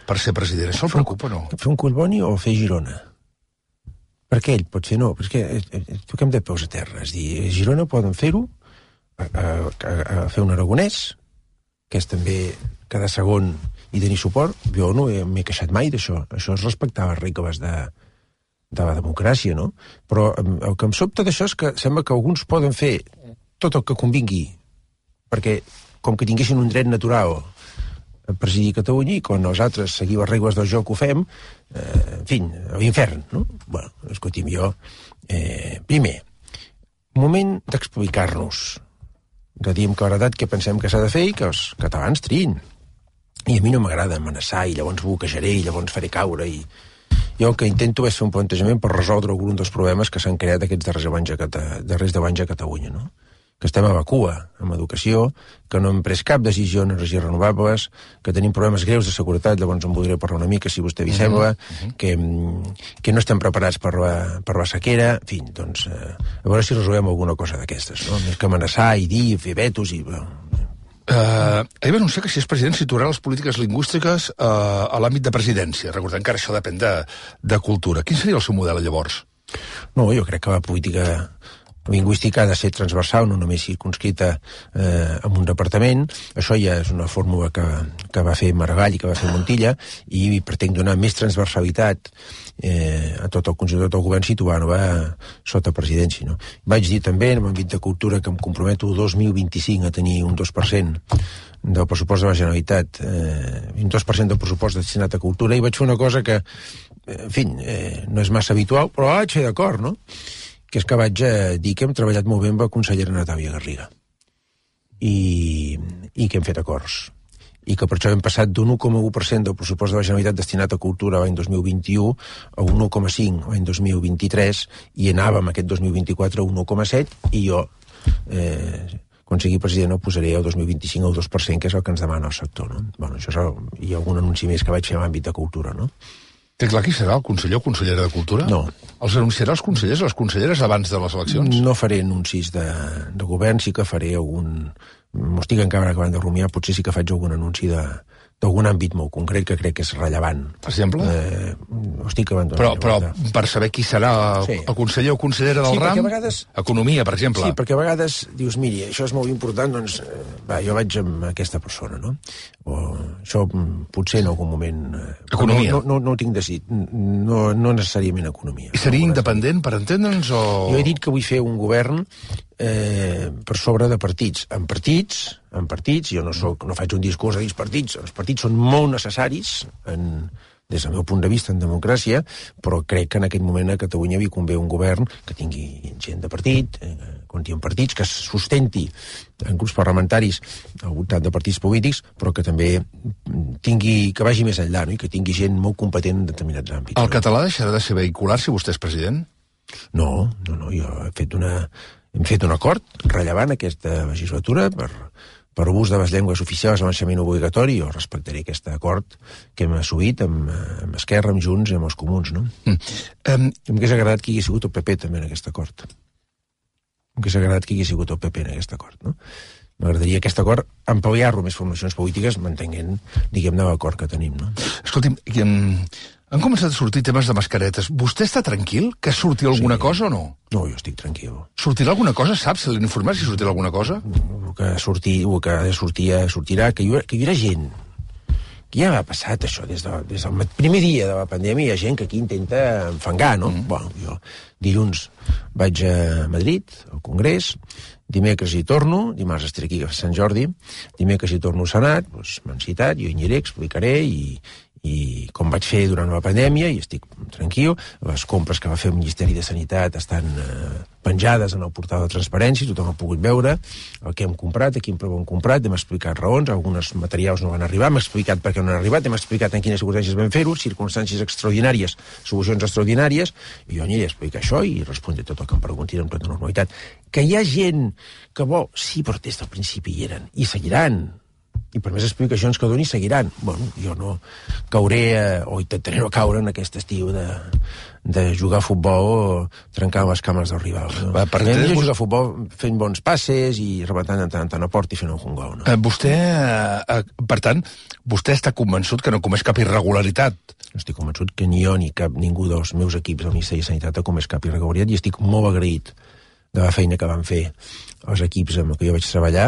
per ser president. Això el preocupa, no? Fer un collboni o fer Girona? Per què ell pot fer no? Perquè toquem de peus a terra. És dir, a Girona poden fer-ho, a, a, a fer un aragonès, que és també cada segon i tenir suport. Jo no m'he queixat mai d'això. Això és respectar les regles de... de la democràcia, no? Però el que em sobta d'això és que sembla que alguns poden fer tot el que convingui, perquè com que tinguessin un dret natural a presidir Catalunya i quan nosaltres seguim les regles del joc ho fem, eh, en fi, a l'infern, no? Bueno, escolti'm, jo... Eh, primer, moment d'explicar-nos, de dir amb claredat què pensem que s'ha de fer i que els catalans triïn. I a mi no m'agrada amenaçar i llavors bloquejaré i llavors faré caure i... Jo el que intento és fer un plantejament per resoldre algun dels problemes que s'han creat aquests darrers anys a, Cata... darrers deu anys a Catalunya, no? Que estem a la cua amb educació, que no hem pres cap decisió en energies renovables, que tenim problemes greus de seguretat, llavors en voldré parlar una mica, si vostè vi sembla, uh-huh. que, que no estem preparats per la, per la sequera, en fi, doncs, eh, a veure si resolem alguna cosa d'aquestes, no? Més que amenaçar i dir, fer vetos i... Uh, ahir va anunciar que si és president situarà les polítiques lingüístiques uh, a l'àmbit de presidència. Recordem que ara això depèn de, de cultura. Quin seria el seu model, llavors? No, jo crec que la política lingüística ha de ser transversal, no només circunscrita eh, en un departament. Això ja és una fórmula que, que va fer Maragall i que va fer Montilla, i pretenc donar més transversalitat eh, a tot el conjunt, tot el govern, situant-ho sota presidència, no? Vaig dir també, en l'àmbit de cultura, que em comprometo el dos mil vint-i-cinc a tenir un dos per cent del pressupost de la Generalitat, eh, un dos per cent del pressupost destinat a cultura, i vaig fer una cosa que, en fi, eh, no és massa habitual, però vaig fer d'acord, no? Que és que vaig eh, dir que hem treballat molt bé amb la consellera Natàlia Garriga i, i que hem fet acords i que per això hem passat d'un un coma u per cent del pressupost de la Generalitat destinat a cultura l'any dos mil vint-i-u a un un coma cinc l'any dos mil vint-i-tres i anàvem aquest dos mil vint-i-quatre a un un coma set i jo eh, quan sigui president ho posaré el dos mil vint-i-cinc al dos per cent, que és el que ens demana el sector, no? Bueno, això és el, hi ha algun anunci més que vaig fer en l'àmbit de cultura, no? Té clar qui serà el conseller o consellera de Cultura? No. Els anunciarà els consellers o les conselleres abans de les eleccions? No faré anuncis de, de govern, sí que faré algun... M'ho estic encara acabant de rumiar, potser sí que faig algun anunci de d'algun àmbit molt concret que crec que és rellevant. Per exemple? Eh, ho estic abandonant. Però, però per saber qui serà el, sí. el conseller o consellera del sí, ram, vegades... economia, per exemple. Sí, perquè a vegades dius, miri, això és molt important, doncs, va, jo vaig amb aquesta persona, no? O això potser en algun moment... Economia. No, no, no, no ho tinc decidit, no, no necessàriament economia. I seria no independent, per entendre'ns, o...? Jo he dit que vull fer un govern eh, per sobre de partits. En partits, en partits, jo no, soc, no faig un discurs a dir partits, els partits són molt necessaris en, des del meu punt de vista en democràcia, però crec que en aquest moment a Catalunya hi convé un govern que tingui gent de partit, eh, compti en partits, que es sustenti en grups parlamentaris al voltant de partits polítics, però que també tingui, que vagi més enllà, no? I que tingui gent molt competent en determinats àmbits. El català deixarà de ser vehicular si vostè és president? No, no, no, jo he fet una... Hem fet un acord rellevant aquesta legislatura per, per l'ús de les llengües oficials a l'ensenyament obligatori. Jo respectaré aquest acord que hem assolit amb, amb Esquerra, amb Junts i amb els comuns, no? Mm. Um, M'hauria agradat que hi hagués sigut el P P també en aquest acord. M'hauria agradat que hi hagués sigut el P P en aquest acord, no? M'agradaria aquest acord ampliar-lo més formacions polítiques mantenint, diguem-ne, l'acord que tenim, no? Escolti'm, han començat a sortir temes de mascaretes. Vostè està tranquil que surti alguna sí. cosa o no? No, jo estic tranquil. Sortirà alguna cosa? Saps? Se l'han informat si sortirà alguna cosa? El que, sortir, el que ha de sortir sortirà, que hi, haurà, que hi haurà gent que ja ha passat això, des, de, des del primer dia de la pandèmia hi ha gent que aquí intenta enfangar, no? Mm. Bueno, jo dilluns vaig a Madrid, al Congrés, dimecres hi torno, dimarts estaré aquí a Sant Jordi, dimecres hi torno al Senat, doncs m'han citat, jo hi aniré, explicaré i, i com vaig fer durant la pandèmia, i estic tranquil, les compres que va fer el Ministeri de Sanitat estan eh, penjades en el portal de transparència, tothom ha pogut veure el que hem comprat, a quin preu hem comprat, hem explicat raons, alguns materials no van arribar, hem explicat per què no han arribat, hem explicat en quines circumstàncies vam fer-ho, circumstàncies extraordinàries, solucions extraordinàries, i jo aniré a explicar això i respondré tot el que em preguntin amb tota normalitat. Que hi ha gent que vol, sí, però des del principi hi eren, i seguiran, i per més explicacions que doni seguiran. Bueno, jo no cauré, eh, o intentaré no caure en aquest estiu de, de jugar a futbol o trencar les cames del rival. No? Va, per Hem de jugar a futbol fent bons passes i rebentant en tant en a port i fent un gol. No? Eh, vostè, eh, per tant, vostè està convençut que no comès cap irregularitat? No estic convençut que ni jo ni cap, ningú dels meus equips del Ministeri de Sanitat ha comès cap irregularitat i estic molt agraït de la feina que van fer els equips amb què jo vaig treballar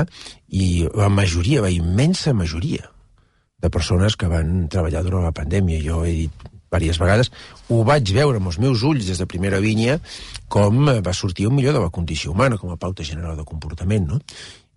i la majoria, la immensa majoria de persones que van treballar durant la pandèmia. Jo he dit diverses vegades, ho vaig veure amb els meus ulls des de primera línia com va sortir el millor de la condició humana, com a pauta general de comportament, no?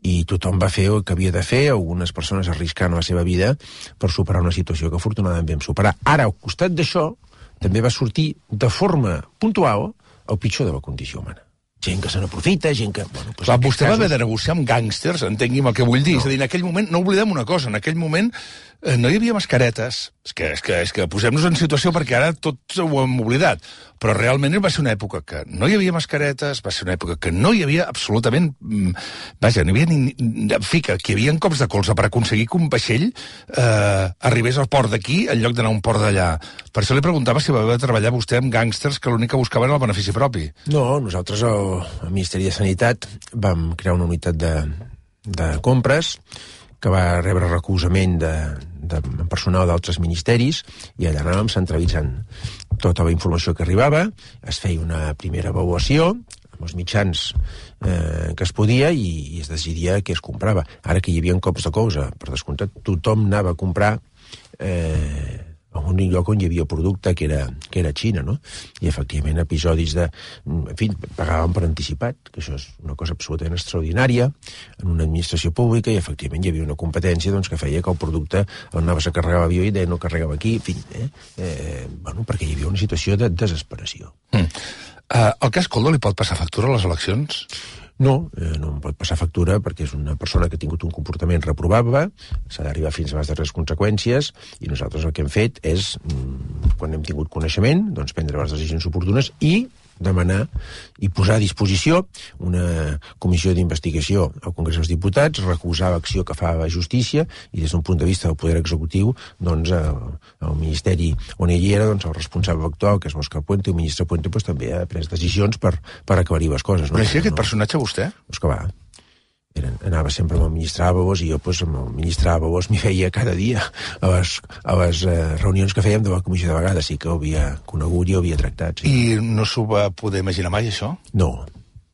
I tothom va fer el que havia de fer, algunes persones arriscant la seva vida per superar una situació que afortunadament vam superar. Ara, al costat d'això, també va sortir de forma puntual el pitjor de la condició humana. Gent que se n'aprofita, gent que... Bueno, doncs Clar, vostè casos... va haver de negociar amb gàngsters, entengui'm el que vull dir. No. És a dir, en aquell moment, no oblidem una cosa, en aquell moment eh, no hi havia mascaretes. És que, és que, és que posem-nos en situació perquè ara tots ho hem oblidat. Però realment va ser una època que no hi havia mascaretes, va ser una època que no hi havia absolutament... Vaja, no hi havia ni... En fi, que hi havia cops de colze per aconseguir que un vaixell eh, arribés al port d'aquí en lloc d'anar a un port d'allà. Per això li preguntava si va haver de treballar vostè amb gàngsters que l'únic que buscaven era el benefici propi. No, nosaltres al, al Ministeri de Sanitat vam crear una unitat de, de compres que va rebre recolzament de, de personal d'altres ministeris i allà anàvem centralitzant tota la informació que arribava, es feia una primera avaluació amb els mitjans eh, que es podia i, i es decidia què es comprava. Ara que hi havia cops de cosa, per descomptat, tothom anava a comprar eh, en un lloc on hi havia producte que era, que era Xina, no? I efectivament episodis de... En fi, pagàvem per anticipat, que això és una cosa absolutament extraordinària en una administració pública i efectivament hi havia una competència doncs, que feia que el producte el anaves a carregar a l'avió i deia no carregava aquí, en fi, eh? Eh, bueno, perquè hi havia una situació de desesperació. Mm. Uh, el cas Koldo li pot passar factura a les eleccions? No, eh, no em pot passar factura perquè és una persona que ha tingut un comportament reprovable, s'ha d'arribar fins a les darreres conseqüències i nosaltres el que hem fet és, quan hem tingut coneixement, doncs prendre les decisions oportunes i demanar i posar a disposició una comissió d'investigació al Congrés dels Diputats, recolzar l'acció que fa la justícia i des d'un punt de vista del poder executiu doncs el, el Ministeri on ell era, doncs el responsable actual que és Òscar Puente, el ministre Puente doncs, també ha pres decisions per, per aclarir les coses. No? Coneixia aquest no, personatge vostè? Doncs que va. Era, anava sempre amb el ministre Ábalos i jo pues, amb el ministre Ábalos m'hi veia cada dia a les, a les eh, reunions que fèiem de la comissió de vegades, sí que ho havia conegut i ho havia tractat. Sí. I no s'ho va poder imaginar mai, això? No,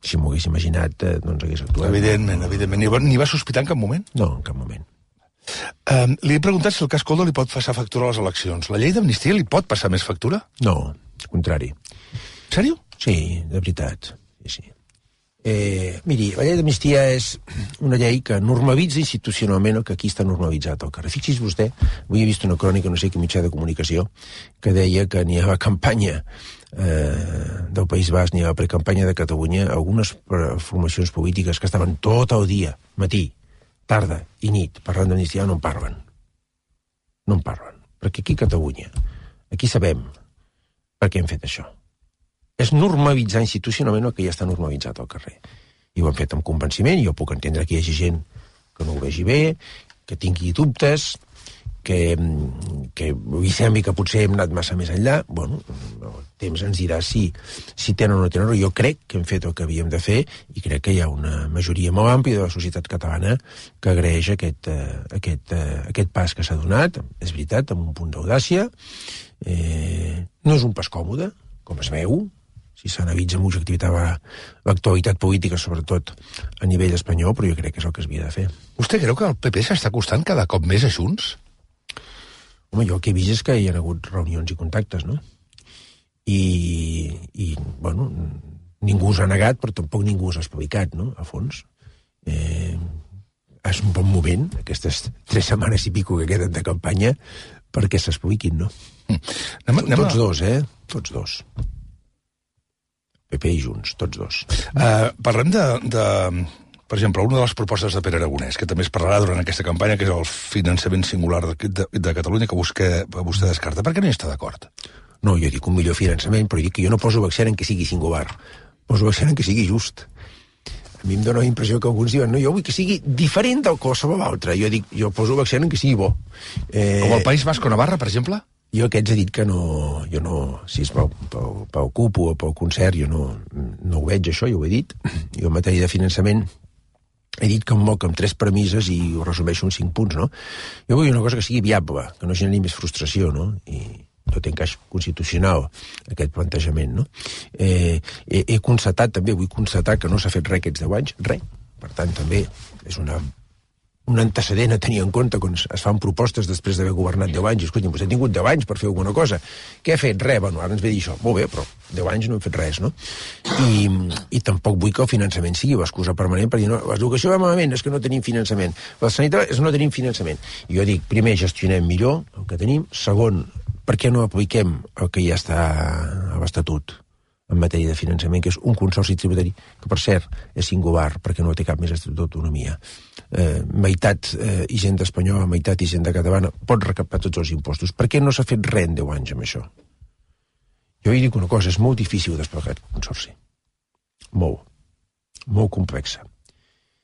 si m'ho hagués imaginat, eh, doncs hagués actuat. Evidentment, evidentment. Ni va, ni va sospitar en cap moment? No, en cap moment. Um, li he preguntat si el cas Koldo li pot passar factura a les eleccions. La llei d'amnistia li pot passar més factura? No, al contrari. Sèrio? Sí, de veritat. Sí, sí. Eh, miri, la llei d'amnistia és una llei que normalitza institucionalment el que aquí està normalitzat al carrer. Fixi's vostè, avui he vist una crònica, no sé quin mitjà de comunicació, que deia que ni a la campanya eh, del País Basc ni a la precampanya de Catalunya algunes formacions polítiques que estaven tot el dia, matí, tarda i nit, parlant d'amnistia, no en parlen. No en parlen. Perquè aquí a Catalunya, aquí sabem per què hem fet això. És normalitzar institucionalment el que ja està normalitzat al carrer. I ho han fet amb convenciment, i jo puc entendre que hi hagi gent que no ho vegi bé, que tingui dubtes, que, que li sembli que potser hem anat massa més enllà. Bueno, el temps ens dirà si, si tenen o no tenen, jo crec que hem fet el que havíem de fer i crec que hi ha una majoria molt àmplia de la societat catalana que agraeix aquest, aquest, aquest pas que s'ha donat, és veritat, amb un punt d'audàcia. Eh, no és un pas còmode, com es veu, si s'analitza amb objectivitat l'actualitat política, sobretot a nivell espanyol, però jo crec que és el que es havia de fer. Vostè creu que el P P s'està costant cada cop més a Junts? Home, jo el que he vist és que hi ha hagut reunions i contactes, no? I, i bueno, ningú s'ha negat, però tampoc ningú s'ha espavicat, no?, a fons. Eh, és un bon moment, aquestes tres setmanes i pico que queden de campanya, perquè s'espaviquin, no? Mm. Anem, anem tots a... dos, eh? Tots dos. P P i Junts, tots dos. Uh, parlem de, de... Per exemple, una de les propostes de Pere Aragonès, que també es parlarà durant aquesta campanya, que és el finançament singular de, de, de Catalunya, que vostè, vostè descarta. Per què no hi està d'acord? No, jo dic un millor finançament, però dic que jo no poso accent en que sigui singular. Poso accent en que sigui just. A mi em dóna la impressió que alguns diuen no, jo vull que sigui diferent del qualsevol altre. Jo dic, jo poso accent en que sigui bo. Eh... Com el País Basc o Navarra, per exemple? Jo aquests he dit que no... Jo no si és pel, pel, pel C U P o pel concert, jo no, no ho veig, això, ja ho he dit. Jo en matèria de finançament he dit que em moc amb tres premisses i ho resumeixo en cinc punts, no? Jo vull una cosa que sigui viable, que no generi més frustració, no? I no té encaix constitucional, aquest plantejament, no? Eh, he, he constatat, també vull constatar que no s'ha fet res aquests deu anys, res. Per tant, també és una, un antecedent a tenir en compte quan es fan propostes després d'haver governat deu anys. Escolta, vostè ha tingut deu anys per fer alguna cosa. Què ha fet? Res. Bueno, ara ens ve dir això. Molt bé, però deu anys no hem fet res, no? I, i tampoc vull que el finançament sigui l'excusa permanent per dir, no, l'educació va malament, és que no tenim finançament. La sanitat és que no tenim finançament. I jo dic, primer, gestionem millor el que tenim. Segon, per què no apliquem el que ja està a l'Estatut en matèria de finançament, que és un consorci tributari, que per cert és singular, perquè no té cap més estatut d'autonomia. Eh, meitat eh, hisenda espanyola, meitat hisenda catalana, pot recaptar tots els impostos. Per què no s'ha fet res en deu anys amb això? Jo hi dic una cosa, és molt difícil desplegar aquest consorci. Molt. Molt complexa.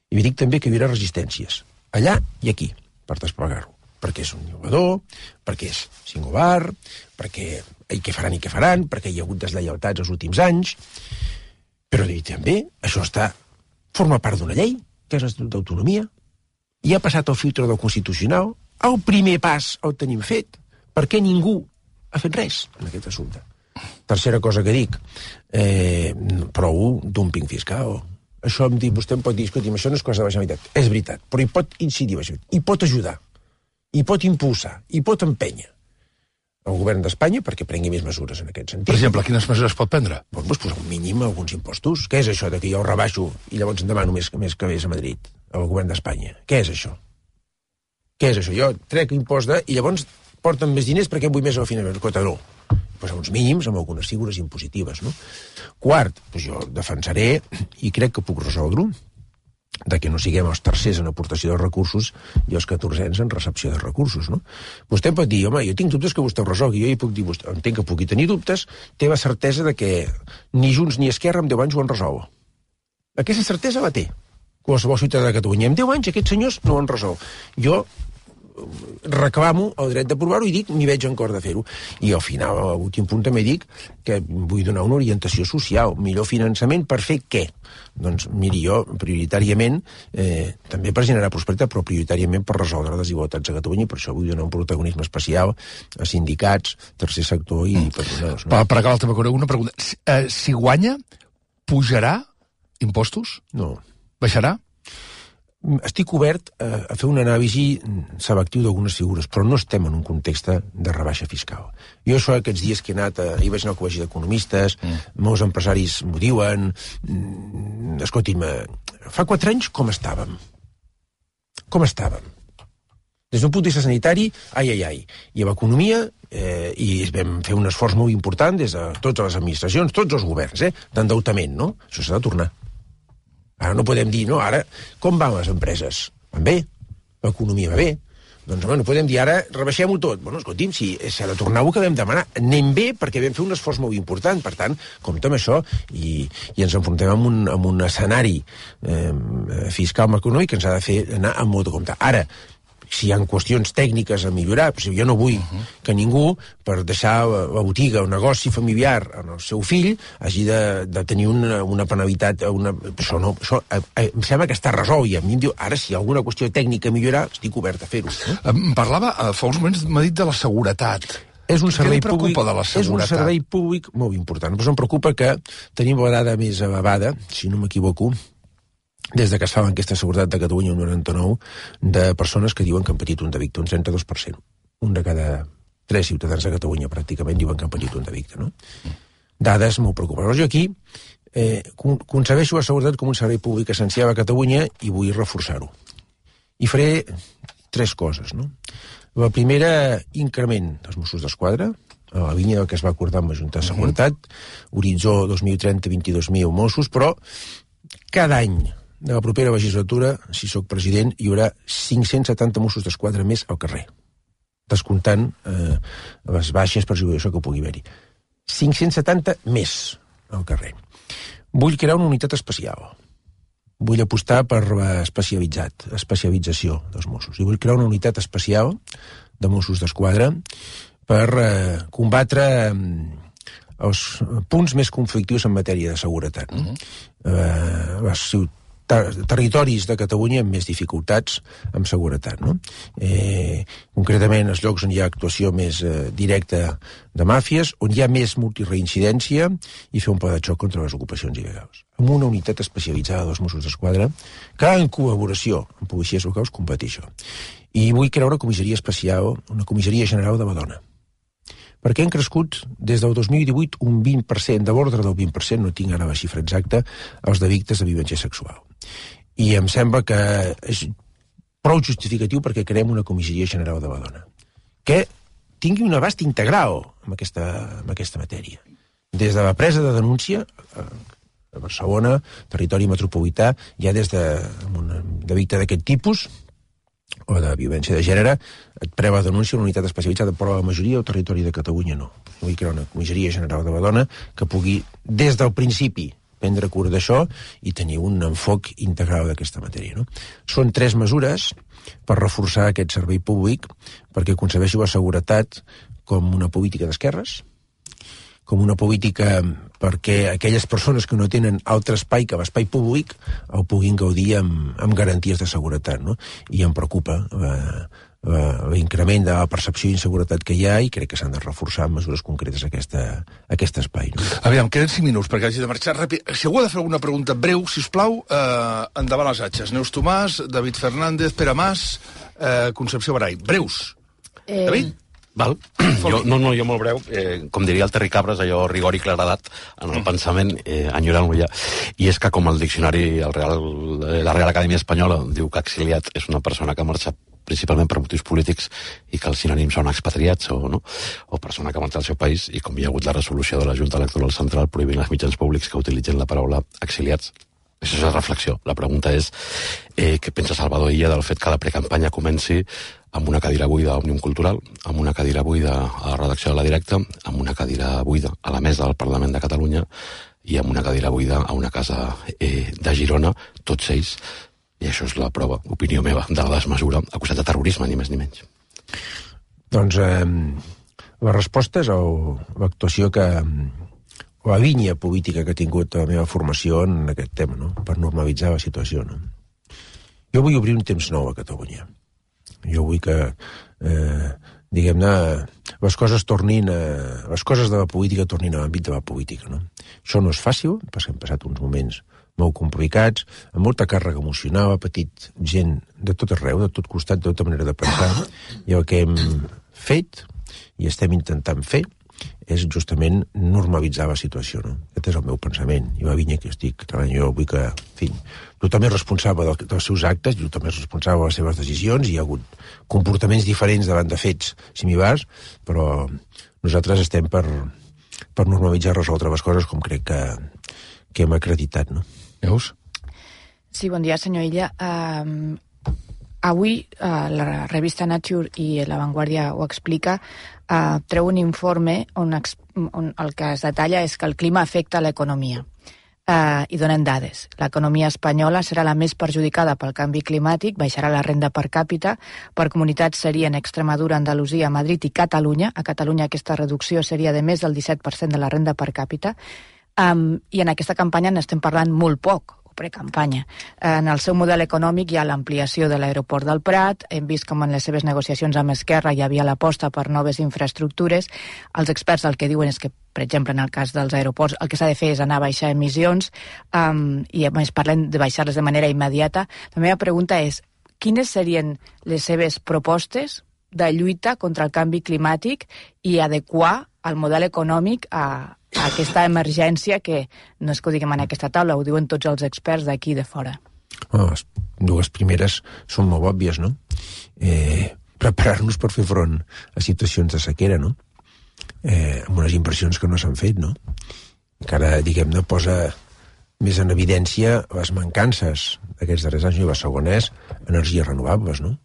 I vi dic també que hi haurà resistències, allà i aquí, per desplegar-ho. Perquè és un innovador, perquè és singular, perquè i què faran i què faran, perquè hi ha hagut deslleialtats els últims anys, però també això està forma part d'una llei, que és l'Estatut d'Autonomia, i ha passat el filtre del Constitucional, el primer pas el tenim fet, perquè ningú ha fet res en aquest assumpte. Tercera cosa que dic, eh, prou dumping fiscal. Això em diu, vostè em pot dir, escolti'm, això no és cosa de la Generalitat. És veritat, però hi pot incidir, hi pot ajudar, hi pot impulsar, hi pot empènyer el govern d'Espanya perquè prengui més mesures en aquest sentit. Per exemple, quines mesures pot prendre? Doncs pues, posar un mínim a alguns impostos. Què és això de que jo rebaixo i llavors en demano més, més que vés a Madrid, al govern d'Espanya? Què és això? Què és això? Jo trec impost de... i llavors porten més diners perquè vull més al finançament. Escolta, no. Posar uns mínims amb algunes figures impositives, no? Quart, doncs jo defensaré, i crec que puc resoldre-ho, de que no siguem els tercers en aportació de recursos i els catorzens en recepció de recursos, no? Vostè pot dir, home, jo tinc dubtes que vostè ho resolgui, jo hi puc dir, vostè, entenc que pugui tenir dubtes, té la certesa de que ni Junts ni Esquerra en deu anys ho han resolt. Aquesta certesa la té qualsevol ciutadà de Catalunya. En deu anys aquests senyors no ho han resolt. Jo reclamo el dret d'aprovar-ho i dic, m'hi veig en cor de fer-ho. I al final, a l'últim punt també dic que vull donar una orientació social, millor finançament per fer què? Doncs miri, jo prioritàriament, eh, també per generar prosperitat, però prioritàriament per resoldre desigualtats a Catalunya, i per això vull donar un protagonisme especial a sindicats, tercer sector i mm. patronals. No? Per, per acabar, també una pregunta. Si, eh, si guanya, pujarà impostos? No. Baixarà? Estic obert a, a fer una anàlisi selectiu d'algunes figures, però no estem en un context de rebaixa fiscal. Jo això aquests dies que he anat, a, hi vaig anar al col·legi d'economistes, mm. molts empresaris m'ho diuen, mm, escolti'm, fa quatre anys com estàvem? Com estàvem? Des d'un punt de vista sanitari, ai, ai, ai. I a l'economia, eh, i vam fer un esforç molt important des de totes les administracions, tots els governs, eh, d'endeutament, no? Això s'ha de tornar. Ara no podem dir, no, ara, com van les empreses? Van bé? L'economia va bé? Doncs, home, no podem dir, ara rebaixem-ho tot. Bueno, escolti'm, si s'ha de tornar el que vam demanar. Anem bé perquè vam fer un esforç molt important. Per tant, compte amb això i, i ens enfrontem amb un, amb un escenari eh, fiscal econòmic que ens ha de fer anar amb molt de compte. Ara, si hi ha qüestions tècniques a millorar, però jo no vull uh -huh. que ningú, per deixar la botiga o negoci familiar en el seu fill, hagi de, de tenir una, una penalitat. Una... Això no, això eh, eh, em sembla que està resolt, i a mi em diu, ara, si hi ha alguna qüestió tècnica a millorar, estic obert a fer-ho. Eh? Em parlava, fa uns moments m'ha dit de la seguretat. És un servei Què li preocupa públic, de la seguretat? És un servei públic molt important. Però em preocupa que tenim la dada més elevada, si no m'equivoco, des de que es fa l'enquesta de seguretat de Catalunya, un noranta-nou, de persones que diuen que han patit un delicte, un trenta-dos per cent. un de cada tres ciutadans de Catalunya pràcticament diuen que han patit un delicte, no? Dades molt preocupants. Jo aquí eh, concebeixo la seguretat com un servei públic essencial a Catalunya i vull reforçar-ho. I faré tres coses, no? La primera, increment dels Mossos d'Esquadra, a la línia del que es va acordar amb la Junta de Seguretat, horitzó dos mil trenta, vint-i-dos mil Mossos, però cada any de la propera legislatura, si sóc president, hi haurà cinc-cents setanta Mossos d'Esquadra més al carrer, descomptant eh, les baixes per jubilació que pugui haver-hi. cinc-cents setanta més al carrer. Vull crear una unitat especial. Vull apostar per l'especialitzat, especialització dels Mossos. I vull crear una unitat especial de Mossos d'Esquadra per eh, combatre eh, els punts més conflictius en matèria de seguretat. No? Uh-huh. eh, les ciutats territoris de Catalunya amb més dificultats amb seguretat, no? Eh, concretament, els llocs on hi ha actuació més eh, directa de màfies, on hi ha més multireincidència i fer un pla de xoc contra les ocupacions il·legals. Amb una unitat especialitzada dels Mossos d'Esquadra que en col·laboració amb policies locals combati això. I vull crear una comissaria especial, una comissaria general de la dona. Perquè han crescut des del dos mil divuit un vint per cent, de l'ordre del vint per cent, no tinc ara la xifra exacta, els delictes de violència sexual. I em sembla que és prou justificatiu perquè creem una comissaria general de la dona, que tingui un abast integral en aquesta, en aquesta matèria. Des de la presa de denúncia, a Barcelona, territori metropolità, ja des de un delicte d'aquest tipus, o de violència de gènere, et preva la denúncia una unitat especialitzada, però la majoria del territori de Catalunya no. Vull crear una comissaria general de la dona que pugui, des del principi, prendre cura d'això i tenir un enfoc integral d'aquesta matèria. No? Són tres mesures per reforçar aquest servei públic, perquè concebeixi la seguretat com una política d'esquerres, com una política perquè aquelles persones que no tenen altre espai que l'espai públic el puguin gaudir amb, amb garanties de seguretat, no? I em preocupa l'increment de la percepció d'inseguretat que hi ha i crec que s'han de reforçar amb mesures concretes aquesta, aquest espai. No? Aviam, queden cinc minuts perquè hagi de marxar ràpid. Si algú ha de fer alguna pregunta breu, si us plau, eh, endavant les atxes. Neus Tomàs, David Fernández, Pere Mas, eh, Concepció Barai. Breus. Eh... David? Val. Jo, no, no, jo molt breu, eh, com diria el Terri Cabres, allò rigor i claredat en el pensament, eh, enyorant-lo ja, i és que com el diccionari, el Real, la Real Acadèmia Espanyola diu que exiliat és una persona que marxa principalment per motius polítics i que els sinònims són expatriats o, no? o persona que marxa al seu país, i com hi ha hagut la resolució de la Junta Electoral Central prohibint els mitjans públics que utilitzen la paraula exiliats. Això és la reflexió. La pregunta és eh, què pensa Salvador Illa del fet que la precampanya comenci amb una cadira buida a Òmnium Cultural, amb una cadira buida a la redacció de La Directa, amb una cadira buida a la mesa del Parlament de Catalunya i amb una cadira buida a una casa eh, de Girona, tots ells, i això és la prova, opinió meva, de la desmesura, acusat de terrorisme, ni més ni menys. Doncs eh, la resposta és l'actuació que... o la línia política que ha tingut la meva formació en aquest tema, no? Per normalitzar la situació. No? Jo vull obrir un temps nou a Catalunya. Jo vull que, eh, diguem-ne, les coses tornin a, les coses de la política tornin a l'àmbit de la política. No? Això no és fàcil, perquè hem passat uns moments molt complicats, amb molta càrrega emocional, ha patit gent de tot arreu, de tot costat, de tota manera de pensar, i el que hem fet i estem intentant fer és justament normalitzar la situació. No? Aquest és el meu pensament, i la línia que estic treballant. Jo vull que, en fi, tothom és responsable del, dels seus actes, i tothom és responsable de les seves decisions, i hi ha hagut comportaments diferents davant de fets similars, però nosaltres estem per, per normalitzar i resoldre les coses com crec que, que hem acreditat. No? Veus? Sí, bon dia, senyor Illa. Um, avui uh, la revista Nature i La Vanguardia ho explica, uh, treu un informe on, on el que es detalla és que el clima afecta l'economia. Uh, i donen dades. L'economia espanyola serà la més perjudicada pel canvi climàtic, baixarà la renda per càpita, per comunitats serien Extremadura, Andalusia, Madrid i Catalunya. A Catalunya aquesta reducció seria de més del disset per cent de la renda per càpita, um, i en aquesta campanya n'estem parlant molt poc, o precampanya. En el seu model econòmic hi ha l'ampliació de l'aeroport del Prat, hem vist com en les seves negociacions amb Esquerra hi havia l'aposta per noves infraestructures. Els experts el que diuen és que, per exemple, en el cas dels aeroports, el que s'ha de fer és anar a baixar emissions, um, i a més parlen de baixar-les de manera immediata. La meva pregunta és, quines serien les seves propostes de lluita contra el canvi climàtic i adequar el model econòmic a, a aquesta emergència que no és que ho diguem en aquesta taula, ho diuen tots els experts d'aquí de fora. Oh, les dues primeres són molt òbvies, no? Eh, preparar-nos per fer front a situacions de sequera, no? Eh, amb unes inversions que no s'han fet, no? Encara, diguem-ne, posa més en evidència les mancances d'aquests darrers anys, i la segona és energies renovables, no?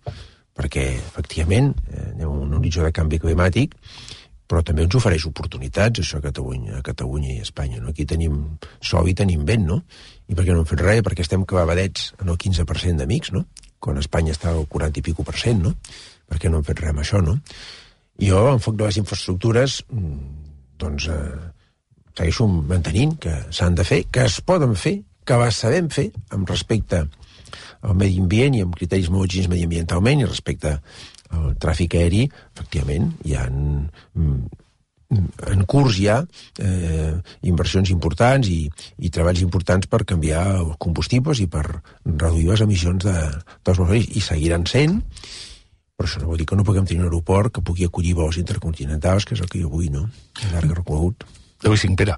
Perquè, efectivament, eh, anem a un horitzó de canvi climàtic, però també ens ofereix oportunitats, això a Catalunya, a Catalunya i a Espanya, no? Aquí tenim sol i tenim vent, no? I per què no hem fet res? Perquè estem clavadets en el quinze per cent de mix, no? Quan Espanya està al quaranta i pico per cent, no? Per què no hem fet res amb això, no? I jo, l'enfoc de les infraestructures, doncs, eh, segueixo mantenint que s'han de fer, que es poden fer, que les sabem fer amb respecte al medi ambient i amb criteris molt exigents mediambientalment i respecte al tràfic aeri, efectivament, hi ha en, en curs ja eh, inversions importants i, i treballs importants per canviar els combustibles i per reduir les emissions de, dels vols i seguiran sent, però això no vol dir que no puguem tenir un aeroport que pugui acollir vols intercontinentals, que és el que jo vull, no? A llarg recorregut. Avui cinc, Pere.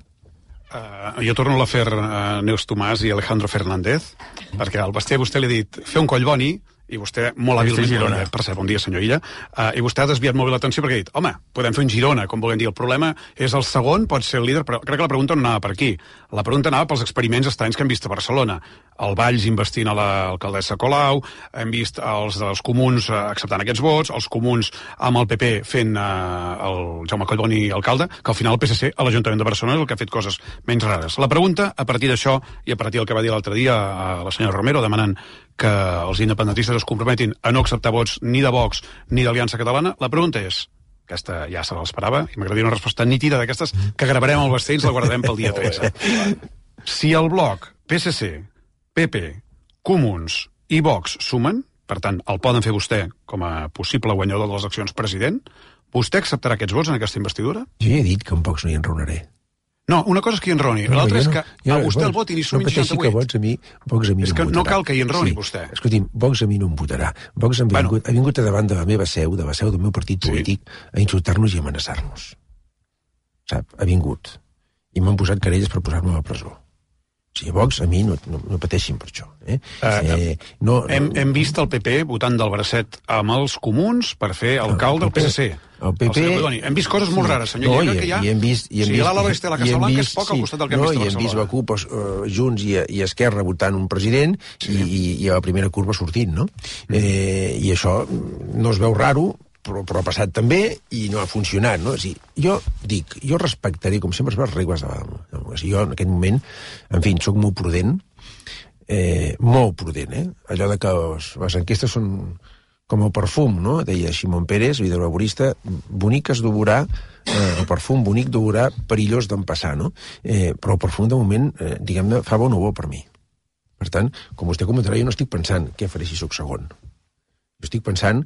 Uh, jo torno a l'afer uh, Neus Tomàs i Alejandro Fernández, perquè al Basté vostè li ha dit fer un coll boni, i vostè molt hàbilment, per cert, bon dia, senyor Illa, uh, i vostè ha desviat molt bé l'atenció perquè ha dit, home, podem fer un Girona, com volem dir, el problema és el segon, pot ser el líder, però crec que la pregunta no anava per aquí. La pregunta anava pels experiments estranys que hem vist a Barcelona. El Valls investint a l'alcaldessa Colau, hem vist els dels comuns uh, acceptant aquests vots, els comuns amb el P P fent uh, el Jaume Collboni alcalde, que al final el P S C a l'Ajuntament de Barcelona és el que ha fet coses menys rares. La pregunta, a partir d'això, i a partir del que va dir l'altre dia a la senyora Romero, demanant que els independentistes es comprometin a no acceptar vots ni de Vox ni d'Aliança Catalana, la pregunta és, aquesta ja se l'esperava, i m'agradaria una resposta nítida d'aquestes que gravarem al Basté i ens la guardarem pel dia tretze. Si el bloc P S C, P P, Comuns i Vox sumen, per tant, el poden fer vostè com a possible guanyador de les eleccions president, vostè acceptarà aquests vots en aquesta investidura? Jo ja he dit que amb Vox no hi enraonaré. No, una cosa és que hi enroni, no, l'altra és que no, a vostè el vot i n'hi sumin no seixanta-vuit. Que Vox a mi, Vox a mi és no que no cal que hi enroni, sí. vostè. Escolti'm, Vox a mi no em votarà. Vox ha vingut, bueno. ha vingut a davant de la meva seu, de la seu del meu partit polític, sí. a insultar-nos i amenaçar-nos. Sap? Ha vingut. I m'han posat querelles per posar-me a la presó. O sigui, Vox, a mi no, no, no pateixin per això. Eh? Uh, eh, no, hem, hem vist el P P votant del bracet amb els comuns per fer alcalde del P S C. El P P... El hem vist coses molt rares, senyor. No, I, i, que hi ha... i hem vist... I hem o sigui, l'Ala Oeste de la Casa Blanca és poc sí, al costat del que no, hem vist a Barcelona. I hem vist la CUP, uh, Junts i, i Esquerra votant un president sí. i, i, i a la primera curva sortint, no? Mm. Eh, I això no es veu raro, però, però ha passat també i no ha funcionat, no? O sigui, jo dic, jo respectaré, com sempre, les regles de la... O sigui, jo en aquest moment, en fi, soc molt prudent, eh, molt prudent, eh? Allò de que les, les enquestes són com el perfum, no? Deia Ximón Pérez, l'hidrolaborista, bonic es devorà, eh, el perfum bonic devorà, perillós d'empassar, no? Eh, però el perfum, de moment, eh, diguem-ne, fa bon o bo per mi. Per tant, com vostè comentarà, jo no estic pensant què faré si sóc segon. Jo estic pensant